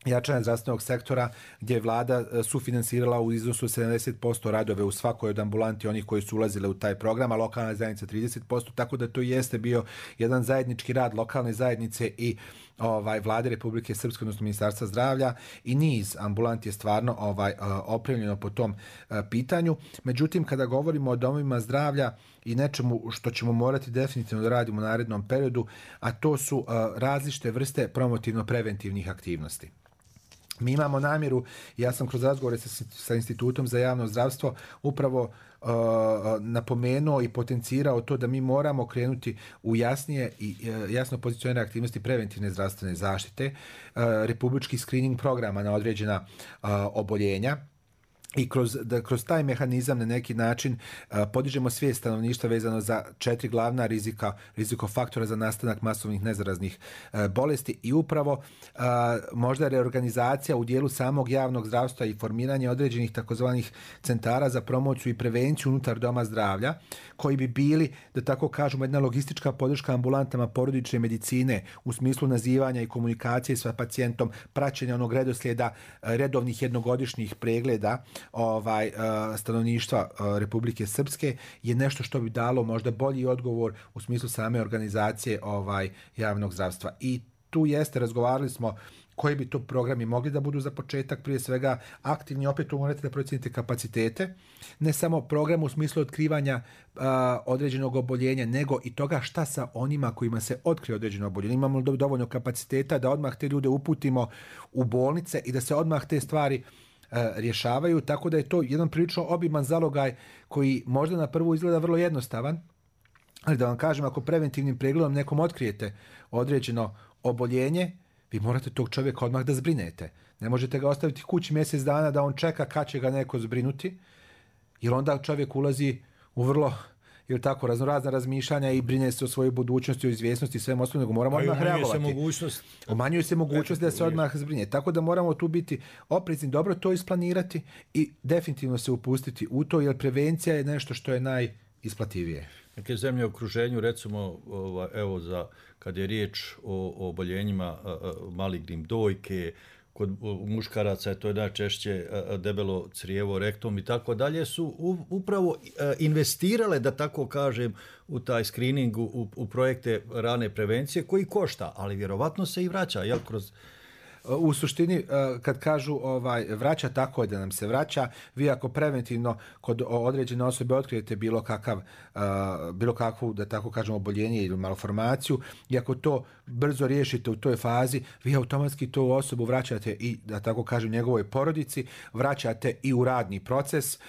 jačanja zdravstvenog sektora gdje je vlada sufinansirala u iznosu sedamdeset posto radove u svakoj od ambulanti onih koji su ulazile u taj program, a lokalna zajednica trideset posto, tako da to jeste bio jedan zajednički rad lokalne zajednice i ovaj vlade Republike Srpske, odnosno Ministarstva zdravlja, i niz ambulanti je stvarno ovaj opremljeno po tom pitanju. Međutim, kada govorimo o domovima zdravlja i nečemu što ćemo morati definitivno da radimo u narednom periodu, a to su različite vrste promotivno-preventivnih aktivnosti. Mi imamo namjeru, ja sam kroz razgovore sa, sa Institutom za javno zdravstvo upravo uh, napomenuo i potencirao to da mi moramo krenuti u jasnije i uh, jasno pozicionirane aktivnosti preventivne zdravstvene zaštite, uh, republički screening programa na određena uh, oboljenja, i kroz, da kroz taj mehanizam na neki način uh, podižemo svijest stanovništva vezano za četiri glavna rizika, rizikofaktora za nastanak masovnih nezaraznih uh, bolesti i upravo uh, možda reorganizacija u dijelu samog javnog zdravstva i formiranje određenih takozvanih centara za promociju i prevenciju unutar doma zdravlja, koji bi bili, da tako kažemo, jedna logistička podrška ambulantama porodične medicine u smislu nazivanja i komunikacije sa pacijentom, praćenja onog redoslijeda uh, redovnih jednogodišnjih pregleda ovaj uh, stanovništva uh, Republike Srpske, je nešto što bi dalo možda bolji odgovor u smislu same organizacije ovaj javnog zdravstva. I tu jeste, razgovarali smo koji bi to programi mogli da budu za početak, prije svega aktivni, opet tu morate da procijenite kapacitete, ne samo program u smislu otkrivanja uh, određenog oboljenja, nego i toga šta sa onima kojima se otkrije određeno oboljenje. Imamo dovoljno kapaciteta da odmah te ljude uputimo u bolnice i da se odmah te stvari rješavaju, tako da je to jedan prilično obiman zalogaj koji možda na prvu izgleda vrlo jednostavan, ali da vam kažem, ako preventivnim pregledom nekom otkrijete određeno oboljenje, vi morate tog čovjeka odmah da zbrinete. Ne možete ga ostaviti kući mjesec dana da on čeka kad će ga neko zbrinuti, jer onda čovjek ulazi u vrlo ili tako raznorazna razmišljanja i brine se o svojoj budućnosti, o izvjesnosti i svem osnovnog, moramo odmah reagovati. Umanjuje se mogućnost. Umanjuje se mogućnost da se odmah zbrinje. Tako da moramo tu biti oprezni, dobro to isplanirati i definitivno se upustiti u to, jer prevencija je nešto što je najisplativije. Neke zemlje u okruženju, recimo, evo, za, kad je riječ o, o oboljenjima malignim dojke, kod muškaraca je to najčešće debelo crijevo, rektum i tako dalje, su upravo investirale, da tako kažem, u taj screening, u, u projekte rane prevencije koji košta, ali vjerovatno se i vraća, jel, kroz... U suštini, kad kažu ovaj, vraća, tako je da nam se vraća. Vi ako preventivno kod određene osobe otkrijete bilo kakav, bilo kakvu, da tako kažemo, oboljenje ili malformaciju, i ako to brzo riješite u toj fazi, vi automatski tu osobu vraćate i, da tako kažem, njegovoj porodici, vraćate i u radni proces.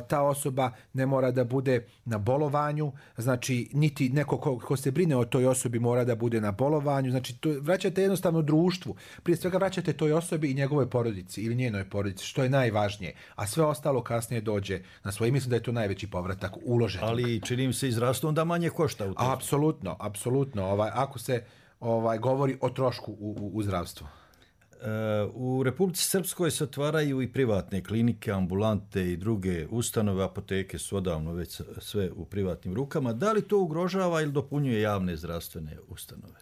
Ta osoba ne mora da bude na bolovanju, znači niti neko ko, ko se brine o toj osobi mora da bude na bolovanju, znači to vraćate jednostavno društvu, prije svega vraćate toj osobi i njegovoj porodici ili njenoj porodici, što je najvažnije, a sve ostalo kasnije dođe na svoje. Mislim da je to najveći povratak uloženog. Ali čini mi se izrastu onda manje košta u to. Apsolutno, apsolutno, ovaj, ako se ovaj, govori o trošku u, u, u zdravstvu. U Republici Srpskoj se otvaraju i privatne klinike, ambulante i druge ustanove, apoteke su odavno već sve u privatnim rukama. Da li to ugrožava ili dopunjuje javne zdravstvene ustanove?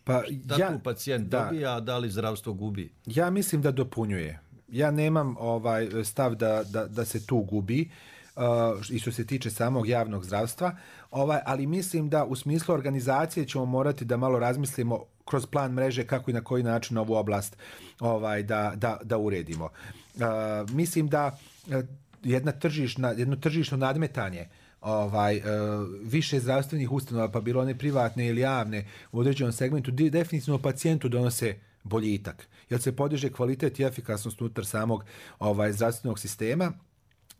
Pa da ja, tu pacijent da, dobija, a da li zdravstvo gubi? Ja mislim da dopunjuje. Ja nemam ovaj stav da, da, da se tu gubi. Uh, i što se tiče samog javnog zdravstva, ovaj, ali mislim da u smislu organizacije ćemo morati da malo razmislimo kroz plan mreže kako i na koji način ovu oblast ovaj, da, da, da uredimo. Uh, mislim da uh, jedna tržišna, jedno tržišno nadmetanje ovaj, uh, više zdravstvenih ustanova, pa bilo one privatne ili javne, u određenom segmentu definitivno pacijentu donose boljitak, jer se podiže kvalitet i efikasnost unutar samog ovaj, zdravstvenog sistema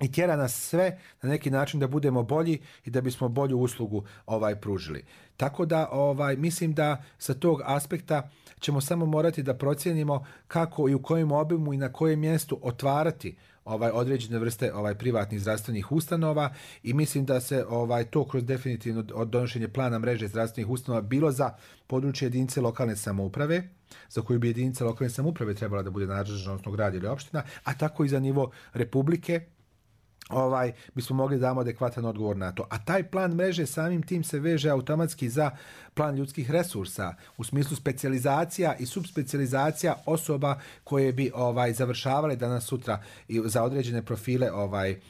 i tjera nas sve na neki način da budemo bolji i da bismo bolju uslugu ovaj pružili. Tako da ovaj mislim da sa tog aspekta ćemo samo morati da procijenimo kako i u kojem obimu i na kojem mjestu otvarati ovaj određene vrste ovaj privatnih zdravstvenih ustanova, i mislim da se ovaj to kroz definitivno od donošenje plana mreže zdravstvenih ustanova bilo za područje jedinice lokalne samouprave, za koju bi jedinica lokalne samouprave trebala da bude nadležna, odnosno grad ili opština, a tako i za nivo Republike, ovaj bismo mogli da damo adekvatan odgovor na to. A taj plan mreže samim tim se veže automatski za plan ljudskih resursa u smislu specijalizacija i subspecijalizacija osoba koje bi ovaj završavale danas sutra i za određene profile ovaj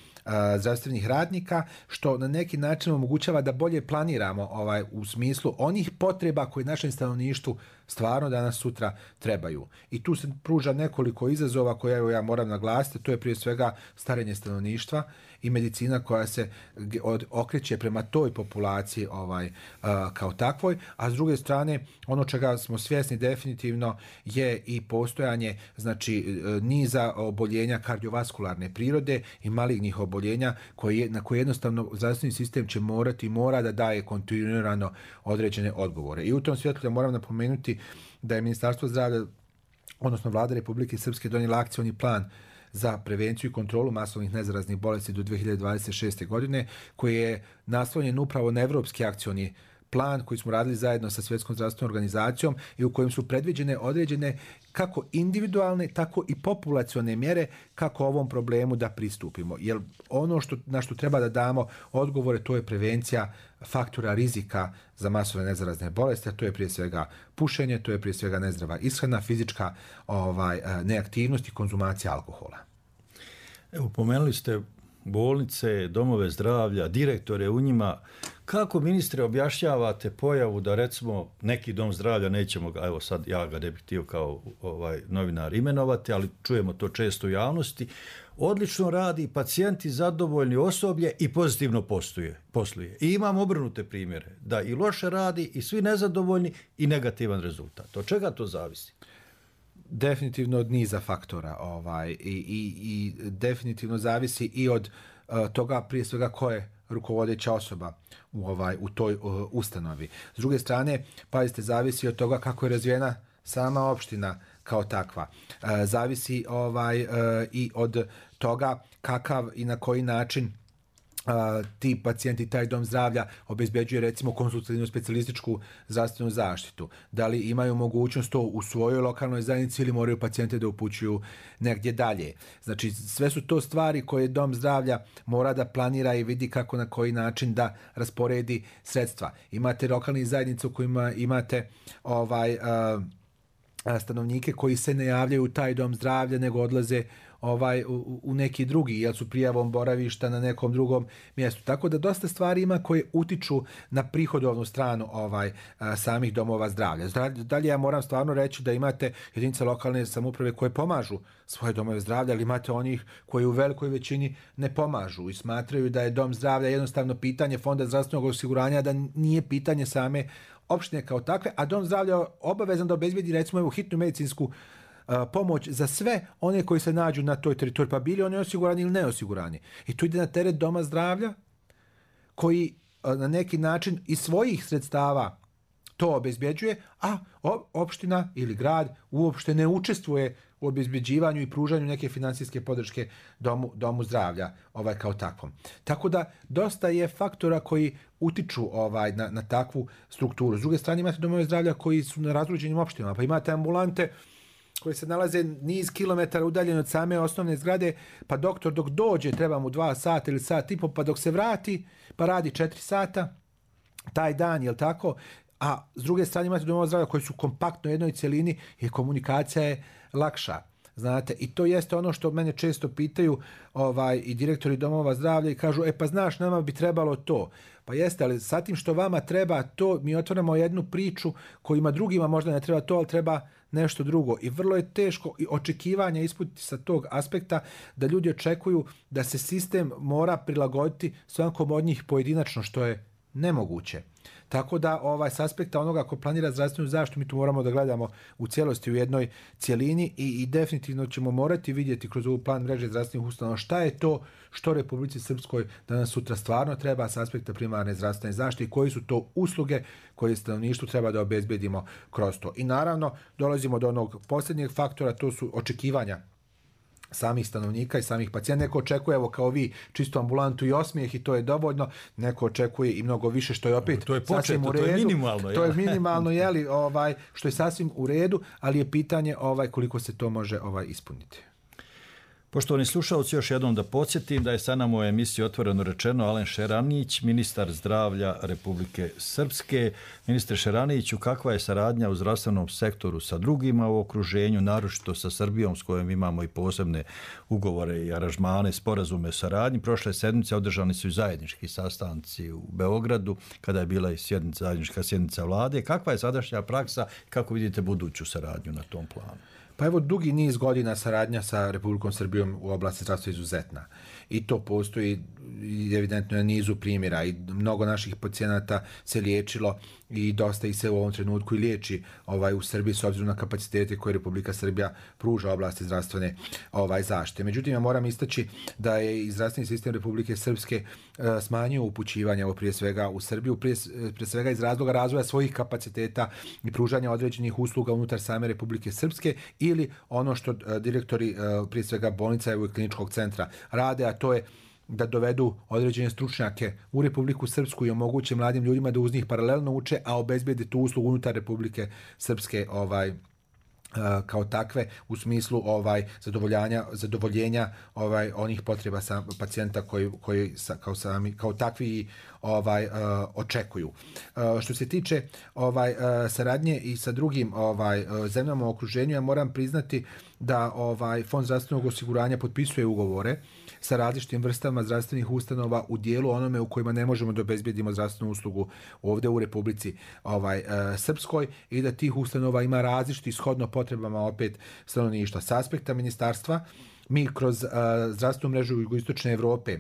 zdravstvenih radnika, što na neki način omogućava da bolje planiramo ovaj u smislu onih potreba koje našem stanovništvu stvarno danas sutra trebaju. I tu se pruža nekoliko izazova koje evo ja moram naglasiti, to je prije svega starenje stanovništva i medicina koja se od, okreće prema toj populaciji ovaj a, kao takvoj, a s druge strane ono čega smo svjesni definitivno je i postojanje znači niza oboljenja kardiovaskularne prirode i malignih oboljenja koje, na koje jednostavno zdravstveni sistem će morati mora da daje kontinuirano određene odgovore. I u tom svjetlu moram napomenuti da je Ministarstvo zdravlja, odnosno Vlada Republike Srpske donijela akcioni plan za prevenciju i kontrolu masovnih nezaraznih bolesti do dvije hiljade dvadeset šeste. godine, koji je naslonjen upravo na evropski akcioni plan koji smo radili zajedno sa Svjetskom zdravstvenom organizacijom i u kojem su predviđene određene kako individualne, tako i populacione mjere kako ovom problemu da pristupimo. Jer ono što, na što treba da damo odgovore, to je prevencija faktora rizika za masovne nezarazne bolesti, a to je prije svega pušenje, to je prije svega nezdrava ishrana, fizička ovaj, neaktivnost i konzumacija alkohola. Evo, pomenuli ste bolnice, domove zdravlja, direktore u njima. Kako, ministre, objašnjavate pojavu da recimo neki dom zdravlja, nećemo ga, evo sad ja ga ne bih htio kao ovaj novinar imenovati, ali čujemo to često u javnosti, odlično radi, pacijenti zadovoljni, osoblje i pozitivno posluje, posluje. I imam obrnute primjere, da i loše radi i svi nezadovoljni i negativan rezultat. Od čega to zavisi? Definitivno od niza faktora ovaj, i, i, i definitivno zavisi i od uh, toga prije svega ko je rukovodeća osoba u, ovaj, u toj uh, ustanovi. S druge strane, pazite, zavisi od toga kako je razvijena sama opština kao takva. Uh, zavisi ovaj, uh, i od toga kakav i na koji način Uh, ti pacijenti, taj dom zdravlja obezbeđuje recimo konsultativnu specijalističku zdravstvenu zaštitu. Da li imaju mogućnost to u svojoj lokalnoj zajednici ili moraju pacijente da upućuju negdje dalje. Znači sve su to stvari koje dom zdravlja mora da planira i vidi kako na koji način da rasporedi sredstva. Imate lokalne zajednice u kojima imate ovaj uh, stanovnike koji se ne javljaju u taj dom zdravlja, nego odlaze ovaj u, u neki drugi, jer su prijavom boravišta na nekom drugom mjestu. Tako da dosta stvari ima koje utiču na prihodovnu stranu ovaj a, samih domova zdravlja. Dalje ja moram stvarno reći da imate jedinice lokalne samouprave koje pomažu svoje domove zdravlja, ali imate onih koji u velikoj većini ne pomažu i smatraju da je dom zdravlja jednostavno pitanje Fonda zdravstvenog osiguranja, da nije pitanje same opštine kao takve, a dom zdravlja obavezan da obezbedi recimo evo hitnu medicinsku a, pomoć za sve one koji se nađu na toj teritoriji, pa bili oni osigurani ili neosigurani. I tu ide na teret doma zdravlja koji a, na neki način iz svojih sredstava to obezbeđuje, a opština ili grad uopšte ne učestvuje u obezbeđivanju i pružanju neke finansijske podrške domu, domu zdravlja ovaj kao takvom. Tako da dosta je faktora koji utiču ovaj na, na takvu strukturu. S druge strane imate domove zdravlja koji su na razruđenim opštinama, pa imate ambulante koje se nalaze niz kilometara udaljene od same osnovne zgrade, pa doktor dok dođe treba mu dva sata ili sat i po, pa dok se vrati pa radi četiri sata taj dan, jel tako? A s druge strane imate domove zdravlja koji su kompaktno u jednoj cjelini i komunikacija je lakša. Znate, i to jeste ono što mene često pitaju ovaj i direktori domova zdravlja i kažu, e pa znaš, nama bi trebalo to. Pa jeste, ali sa tim što vama treba to, mi otvaramo jednu priču kojima drugima možda ne treba to, ali treba nešto drugo. I vrlo je teško i očekivanja ispuniti sa tog aspekta da ljudi očekuju da se sistem mora prilagoditi svakom od njih pojedinačno, što je nemoguće. Tako da ovaj s aspekta onoga ko planira zdravstvenu zaštitu mi tu moramo da gledamo u cijelosti u jednoj cijelini i, i definitivno ćemo morati vidjeti kroz ovu plan mreže zdravstvenih ustanova šta je to što Republici Srpskoj danas sutra stvarno treba s aspekta primarne zdravstvene zaštite i koji su to usluge koje stanovništvu treba da obezbedimo kroz to. I naravno dolazimo do onog posljednjeg faktora, to su očekivanja samih stanovnika i samih pacijenta. Neko očekuje, evo kao vi, čistu ambulantu i osmijeh i to je dovoljno. Neko očekuje i mnogo više, što je opet to je početno, to je minimalno. To je minimalno, jeli, ovaj, što je sasvim u redu, ali je pitanje ovaj koliko se to može ovaj ispuniti. Poštovani slušalci, još jednom da podsjetim da je sa nama u emisiji Otvoreno rečeno Alen Šeranić, ministar zdravlja Republike Srpske. Ministre Šeraniću, kakva je saradnja u zdravstvenom sektoru sa drugima u okruženju, naročito sa Srbijom s kojom imamo i posebne ugovore i aranžmane, sporazume o saradnji? Prošle sedmice održani su i zajednički sastanci u Beogradu, kada je bila i sjednica, zajednička sjednica vlade. Kakva je sadašnja praksa i kako vidite buduću saradnju na tom planu? Pa evo, dugi niz godina saradnja sa Republikom Srbijom u oblasti zdravstva izuzetna. I to postoji evidentno na nizu primjera i mnogo naših pacijenata se liječilo i dosta ih se u ovom trenutku i liječi ovaj, u Srbiji s obzirom na kapacitete koje Republika Srbija pruža oblasti zdravstvene ovaj, zaštite. Međutim, ja moram istaći da je i zdravstveni sistem Republike Srpske e, smanjio upućivanje ovo prije svega u Srbiju, prije, prije svega iz razloga razvoja svojih kapaciteta i pružanja određenih usluga unutar same Republike Srpske ili ono što e, direktori e, prije svega bolnica i kliničkog centra rade, a to je da dovedu određene stručnjake u Republiku Srpsku i omoguće mladim ljudima da uz njih paralelno uče, a obezbede tu uslugu unutar Republike Srpske ovaj kao takve u smislu ovaj zadovoljanja zadovoljenja ovaj onih potreba sa pacijenta koji koji sa, kao sami kao takvi ovaj uh, očekuju. Uh, što se tiče ovaj uh, saradnje i sa drugim ovaj uh, zemljama u okruženju, ja moram priznati da ovaj Fond zdravstvenog osiguranja potpisuje ugovore sa različitim vrstama zdravstvenih ustanova u dijelu onome u kojima ne možemo da obezbedimo zdravstvenu uslugu ovdje u Republici ovaj uh, Srpskoj i da tih ustanova ima različiti shodno potrebama opet stanovništva. S aspekta ministarstva mi kroz uh, zdravstvenu mrežu jugoistočne Evrope,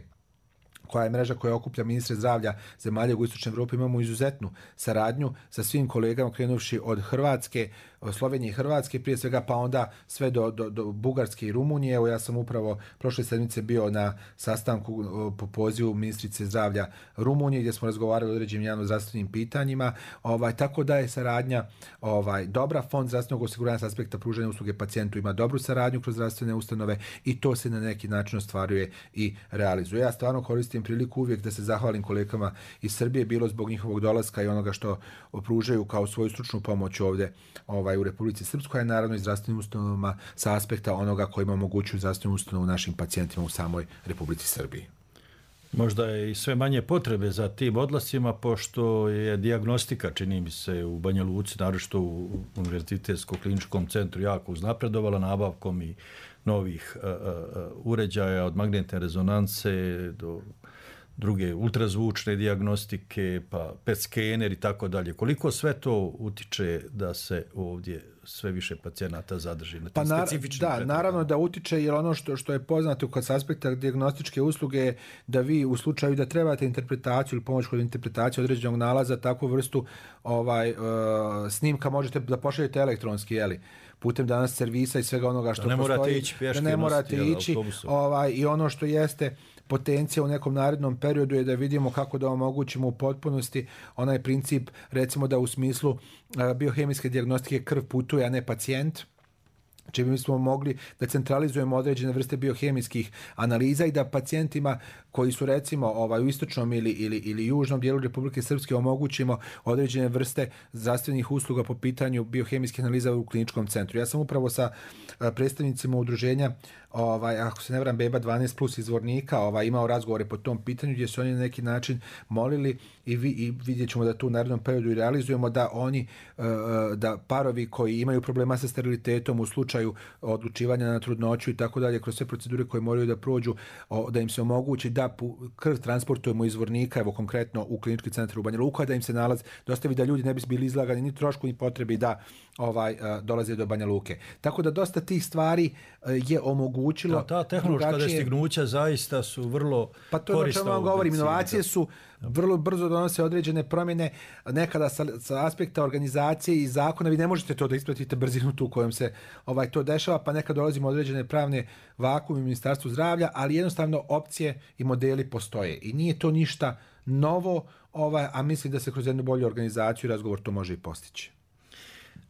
koja je mreža koja okuplja ministre zdravlja zemalja jugoistočne Evrope, imamo izuzetnu saradnju sa svim kolegama, krenuvši od Hrvatske, Slovenije i Hrvatske, prije svega, pa onda sve do, do, do Bugarske i Rumunije. Evo, ja sam upravo prošle sedmice bio na sastanku po pozivu ministrice zdravlja Rumunije, gdje smo razgovarali o određenim javno-zdravstvenim pitanjima. Ovaj, tako da je saradnja ovaj, dobra. Fond zdravstvenog osiguranja s aspekta pružanja usluge pacijentu ima dobru saradnju kroz zdravstvene ustanove i to se na neki način ostvaruje i realizuje. Ja stvarno koristim priliku uvijek da se zahvalim kolegama iz Srbije, bilo zbog njihovog dolaska i onoga što pružaju kao svoju stručnu pomoć ovdje ovaj, u Republici Srpskoj, a naravno i zdravstvenim ustanovama sa aspekta onoga koji ima moguću zdravstvenu ustanovu našim pacijentima u samoj Republici Srbiji. Možda je i sve manje potrebe za tim odlascima, pošto je dijagnostika, čini mi se, u Banja Luci, naročito u Univerzitetskom kliničkom centru, jako uznapredovala nabavkom i novih uh, uh, uređaja od magnetne rezonance do druge ultrazvučne dijagnostike, pa P E T skener i tako dalje. Koliko sve to utiče da se ovdje sve više pacijenata zadrži na tim pa specifičnim Da, pretredama. Naravno da utiče, jer ono što, što je poznato kod aspekta dijagnostičke usluge je da vi u slučaju da trebate interpretaciju ili pomoć kod interpretacije određenog nalaza, takvu vrstu ovaj, uh, snimka možete da pošaljete elektronski, jeli, putem danas servisa i svega onoga što da ne postoji. Morate ići pješke, da ne morate nositi, ići. Ovaj, I ono što jeste potencija u nekom narednom periodu je da vidimo kako da omogućimo u potpunosti onaj princip, recimo da u smislu uh, biohemijske dijagnostike krv putuje, a ne pacijent, čime bismo mogli da centralizujemo određene vrste biohemijskih analiza i da pacijentima koji su recimo ovaj, u istočnom ili, ili, ili južnom dijelu Republike Srpske omogućimo određene vrste zdravstvenih usluga po pitanju biohemijskih analiza u kliničkom centru. Ja sam upravo sa predstavnicima udruženja, ovaj, ako se ne varam, Beba dvanaest plus izvornika, ovaj, imao razgovore po tom pitanju gdje su oni na neki način molili i, vi, i vidjet ćemo da tu u narednom periodu i realizujemo da oni, da parovi koji imaju problema sa sterilitetom u slučaju odlučivanja na trudnoću i tako dalje, kroz sve procedure koje moraju da prođu, da im se omogući da krv transportujemo izvornika, evo konkretno u klinički centar u Banja Luka, da im se nalaz dostavi, da ljudi ne bi bili izlagani ni trošku ni potrebi da ovaj dolaze do Banja Luke. Tako da dosta tih stvari je omogućilo. Da, ta tehnološka drugačije... dostignuća zaista su vrlo pa to korisna. Pa to je o čemu vam govorim. Inovacije su vrlo brzo donose određene promjene. Nekada sa, sa aspekta organizacije i zakona vi ne možete to da ispratite brzinu tu kojom se ovaj to dešava, pa nekad dolazimo određene pravne vakume u Ministarstvu zdravlja, ali jednostavno opcije i modeli postoje. I nije to ništa novo, ovaj, a mislim da se kroz jednu bolju organizaciju i razgovor to može i postići.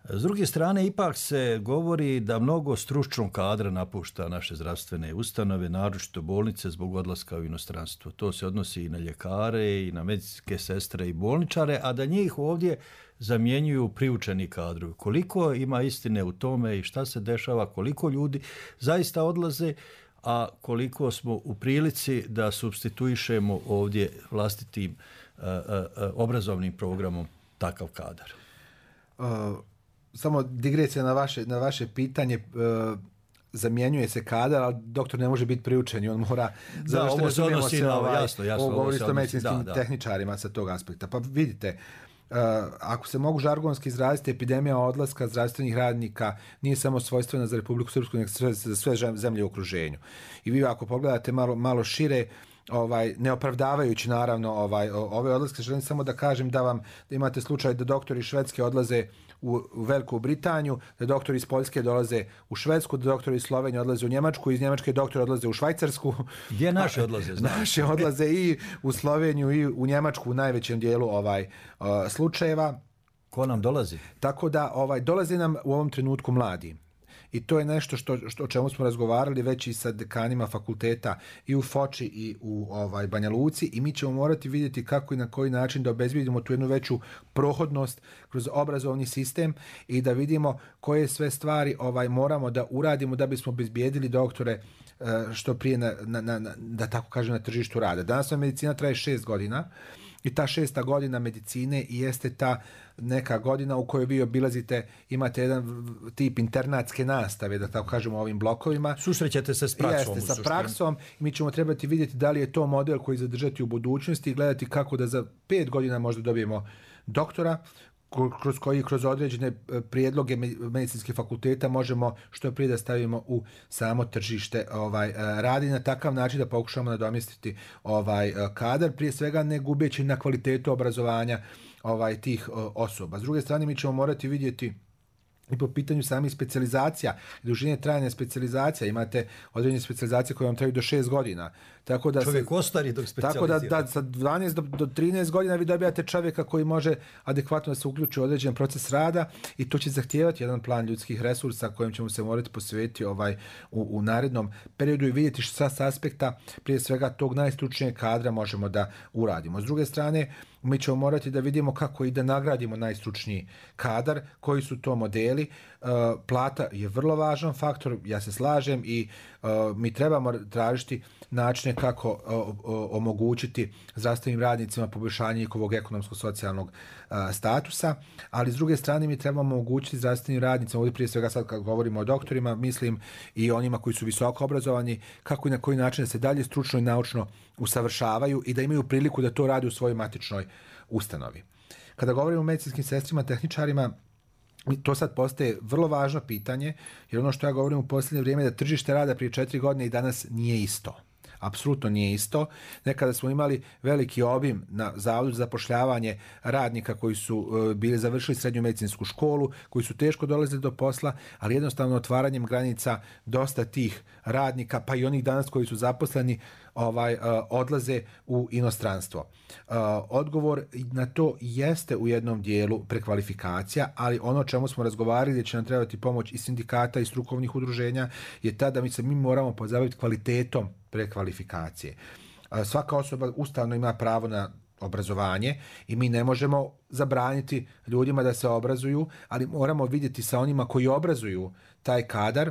S druge strane, ipak se govori da mnogo stručnog kadra napušta naše zdravstvene ustanove, naročito bolnice, zbog odlaska u inostranstvo. To se odnosi i na ljekare, i na medicinske sestre i bolničare, a da njih ovdje zamjenjuju priučeni kadrovi. Koliko ima istine u tome i šta se dešava, koliko ljudi zaista odlaze, a koliko smo u prilici da supstituišemo ovdje vlastitim uh, uh, obrazovnim programom takav kadar? Uh... Samo digresija na vaše, na vaše pitanje, e, zamjenjuje se kadar, ali doktor ne može biti priučen i on mora... Da, ovo se odnosi na ovaj, jasno, jasno. Ovo govorite o medicinskim da, tehničarima da. Sa tog aspekta. Pa vidite, e, ako se mogu žargonski izraziti, epidemija odlaska zdravstvenih radnika nije samo svojstvena za Republiku Srpsku, nego za sve zemlje u okruženju. I vi ako pogledate malo, malo šire, ovaj neopravdavajući naravno ovaj ove odlaske, želim samo da kažem da vam da imate slučaj da doktori Švedske odlaze u, u Veliku Britaniju, da doktori iz Poljske dolaze u Švedsku, da doktori iz Slovenije odlaze u Njemačku, iz Njemačke doktori odlaze u Švajcarsku. Gdje naši odlaze? Znači? Naši odlaze i u Sloveniju i u Njemačku u najvećem dijelu ovaj uh, slučajeva. Ko nam dolazi? Tako da ovaj dolaze nam u ovom trenutku mladi. I to je nešto što, što o čemu smo razgovarali već i sa dekanima fakulteta i u Foči i u ovaj Banja Luci, i mi ćemo morati vidjeti kako i na koji način da obezbedimo tu jednu veću prohodnost kroz obrazovni sistem i da vidimo koje sve stvari ovaj moramo da uradimo da bismo obezbijedili doktore što prije na, na, na, da tako kažem na tržištu rada. Danas medicina traje šest godina i ta šesta godina medicine jeste ta neka godina u kojoj vi obilazite, imate jedan tip internatske nastave, da tako kažemo, ovim blokovima. Susrećete se s praksom. Jeste, sa praksom. Mi ćemo trebati vidjeti da li je to model koji zadržati u budućnosti i gledati kako da za pet godina možda dobijemo doktora, kroz koji kroz određene prijedloge medicinskih fakulteta možemo što prije da stavimo u samo tržište ovaj radi na takav način da pokušamo nadomjestiti ovaj kadar, prije svega ne gubeći na kvalitetu obrazovanja ovaj tih osoba. S druge strane, mi ćemo morati vidjeti i po pitanju samih specijalizacija, dužine trajanja specijalizacija, imate određene specijalizacije koje vam traju do šest godina. Tako da čovjek ostari dok specijalizira. Tako da, da sa dvanaest do, do trinaest godina vi dobijate čovjeka koji može adekvatno da se uključi u određen proces rada i to će zahtijevati jedan plan ljudskih resursa kojem ćemo se morati posvetiti ovaj, u, u narednom periodu i vidjeti što sa aspekta prije svega tog najstručnijeg kadra možemo da uradimo. S druge strane, mi ćemo morati da vidimo kako i da nagradimo najstručniji kadar, koji su to modeli. plata je vrlo važan faktor, ja se slažem i mi trebamo tražiti načine kako omogućiti zdravstvenim radnicima poboljšanje njihovog ekonomsko-socijalnog statusa, ali s druge strane mi trebamo omogućiti zdravstvenim radnicima, ovdje prije svega sad kad govorimo o doktorima, mislim i onima koji su visoko obrazovani, kako i na koji način da se dalje stručno i naučno usavršavaju i da imaju priliku da to rade u svojoj matičnoj ustanovi. Kada govorimo o medicinskim sestrima, tehničarima, to sad postaje vrlo važno pitanje, jer ono što ja govorim u posljednje vrijeme je da tržište rada prije četiri godine i danas nije isto. Apsolutno nije isto. Nekada smo imali veliki obim na zavodu za zapošljavanje radnika koji su uh, bili završili srednju medicinsku školu, koji su teško dolazili do posla, ali jednostavno otvaranjem granica dosta tih radnika, pa i onih danas koji su zaposleni, ovaj, uh, odlaze u inostranstvo. Uh, odgovor na to jeste u jednom dijelu prekvalifikacija, ali ono čemu smo razgovarali gdje će nam trebati pomoć i sindikata i strukovnih udruženja je tada mi se mi moramo pozabaviti kvalitetom prekvalifikacije. Uh, svaka osoba ustavno ima pravo na obrazovanje i mi ne možemo zabraniti ljudima da se obrazuju, ali moramo vidjeti sa onima koji obrazuju taj kadar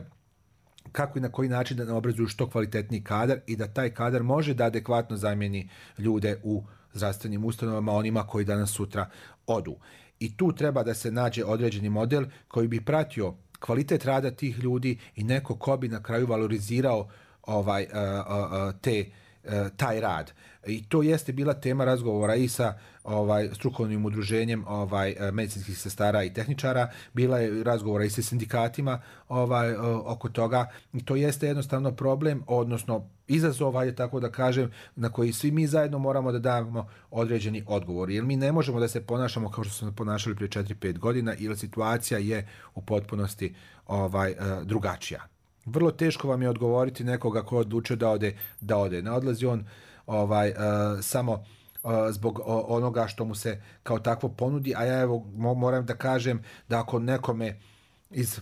kako i na koji način da obrazuju što kvalitetniji kadar i da taj kadar može da adekvatno zamijeni ljude u zdravstvenim ustanovama, onima koji danas sutra odu. I tu treba da se nađe određeni model koji bi pratio kvalitet rada tih ljudi i neko ko bi na kraju valorizirao ovaj, uh, uh, te, uh, taj rad. I to jeste bila tema razgovora i sa ovaj, strukovnim udruženjem ovaj, medicinskih sestara i tehničara, bila je razgovora i sa sindikatima ovaj, oko toga. I to jeste jednostavno problem, odnosno izazov, je tako da kažem, na koji svi mi zajedno moramo da damo određeni odgovor. Jer mi ne možemo da se ponašamo kao što smo ponašali prije četiri pet godina, jer situacija je u potpunosti ovaj, drugačija. Vrlo teško vam je odgovoriti nekoga ko odlučio da ode, da ode. Ne odlazi on ovaj, uh, samo uh, zbog uh, onoga što mu se kao takvo ponudi, a ja evo mo- moram da kažem da ako nekome iz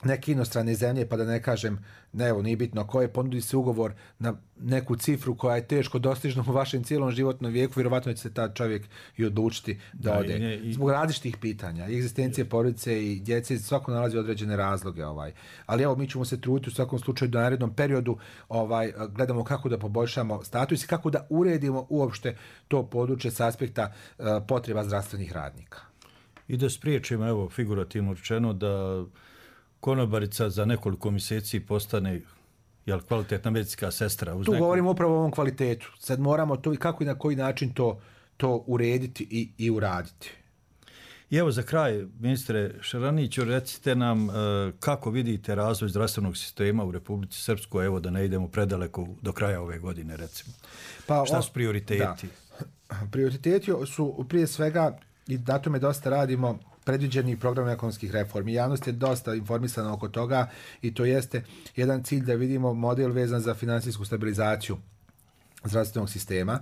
neke inostrane zemlje, pa da ne kažem, ne evo, nije bitno koje, ponudi se ugovor na neku cifru koja je teško dostižna u vašem cijelom životnom vijeku, vjerovatno će se ta čovjek i odlučiti da, da ode. I, i, Zbog različitih pitanja, egzistencije porodice i djece, svako nalazi određene razloge. Ovaj. Ali evo, mi ćemo se truditi u svakom slučaju da u narednom periodu ovaj, gledamo kako da poboljšamo status i kako da uredimo uopšte to područje s aspekta uh, potreba zdravstvenih radnika. I da spriječimo, evo, figurativno rečeno, da konobarica za nekoliko mjeseci postane jel, kvalitetna medicinska sestra. Uz tu neku... govorimo upravo o ovom kvalitetu. Sad moramo to i kako i na koji način to, to urediti i, i uraditi. I evo za kraj, ministre Šaraniću, recite nam uh, kako vidite razvoj zdravstvenog sistema u Republici Srpskoj, evo da ne idemo predaleko do kraja ove godine, recimo. Pa, šta su prioriteti? Da. Prioriteti su prije svega, i na tome dosta radimo, predviđeni program ekonomskih reformi. Javnost je dosta informisana oko toga i to jeste jedan cilj da vidimo model vezan za finansijsku stabilizaciju zdravstvenog sistema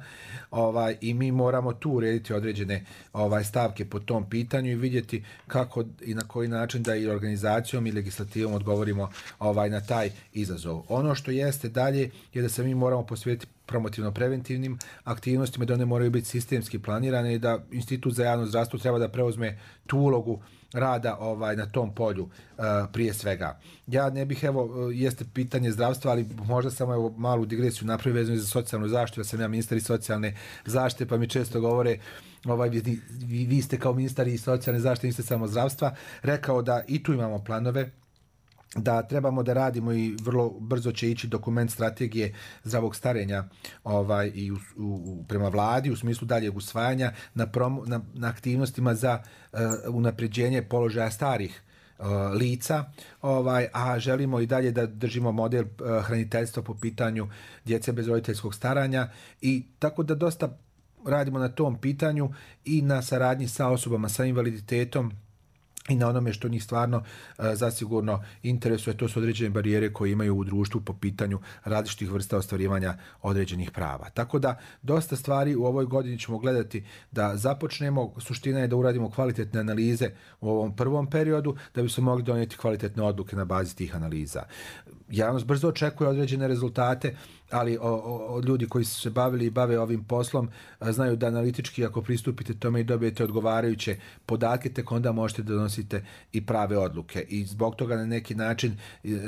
ovaj, i mi moramo tu urediti određene ovaj, stavke po tom pitanju i vidjeti kako i na koji način da i organizacijom i legislativom odgovorimo ovaj, na taj izazov. Ono što jeste dalje je da se mi moramo posvetiti promotivno-preventivnim aktivnostima, da one moraju biti sistemski planirane i da Institut za javno zdravstvo treba da preuzme tu ulogu rada ovaj na tom polju uh, prije svega. Ja ne bih, evo, jeste pitanje zdravstva, ali možda samo evo malu digresiju napravio vezano za socijalnu zaštitu. Ja sam ja ministar i socijalne zaštite, pa mi često govore ovaj, vi, vi, vi ste kao ministar i socijalne zaštite, niste samo zdravstva, rekao da i tu imamo planove, da trebamo da radimo i vrlo brzo će ići dokument strategije zdravog starenja ovaj, i u, u, prema vladi u smislu daljeg usvajanja na, promo, na, na aktivnostima za uh, unapređenje položaja starih uh, lica, ovaj, a želimo i dalje da držimo model uh, hraniteljstva po pitanju djece bez roditeljskog staranja i tako da dosta radimo na tom pitanju i na saradnji sa osobama sa invaliditetom i na onome što njih stvarno uh, zasigurno interesuje, to su određene barijere koje imaju u društvu po pitanju različitih vrsta ostvarivanja određenih prava. Tako da dosta stvari u ovoj godini ćemo gledati da započnemo, suština je da uradimo kvalitetne analize u ovom prvom periodu da bi se mogli donijeti kvalitetne odluke na bazi tih analiza. Javnost brzo očekuje određene rezultate ali o, o, ljudi koji su se bavili i bave ovim poslom znaju da analitički ako pristupite tome i dobijete odgovarajuće podatke, tek onda možete da donosite i prave odluke. I zbog toga na neki način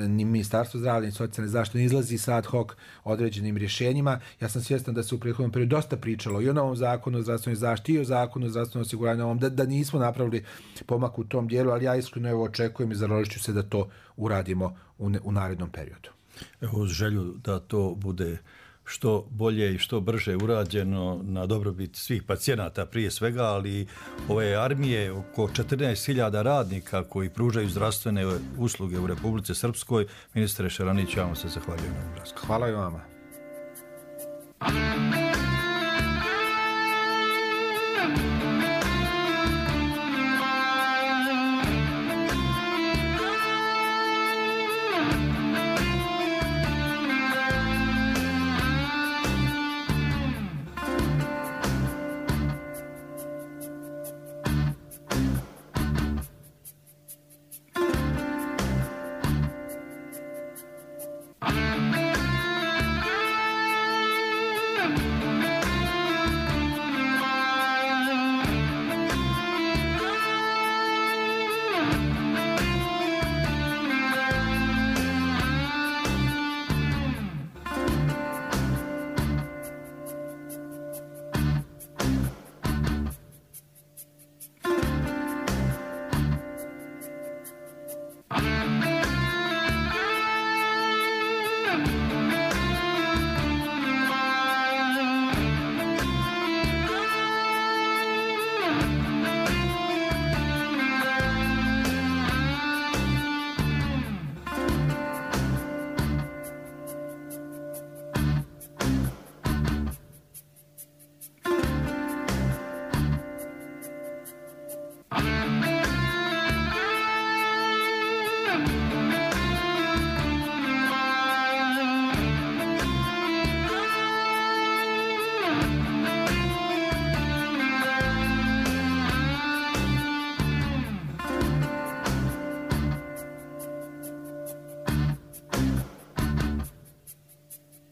ni Ministarstvo zdravlja ni socijalne zaštite ne izlazi sa ad hoc određenim rješenjima. Ja sam svjestan da se u prethodnom periodu dosta pričalo i o novom zakonu o zdravstvenoj zaštiti i o zakonu o zdravstvenom osiguranju, da, da nismo napravili pomak u tom dijelu, ali ja iskreno evo očekujem i založit ću se da to uradimo u, ne, u narednom periodu. Evo, uz želju da to bude što bolje i što brže urađeno na dobrobit svih pacijenata prije svega, ali ove armije, oko četrnaest hiljada radnika koji pružaju zdravstvene usluge u Republici Srpskoj, ministre Šaranić, ja vam se zahvaljujem na ovom razgovoru. Hvala i vama.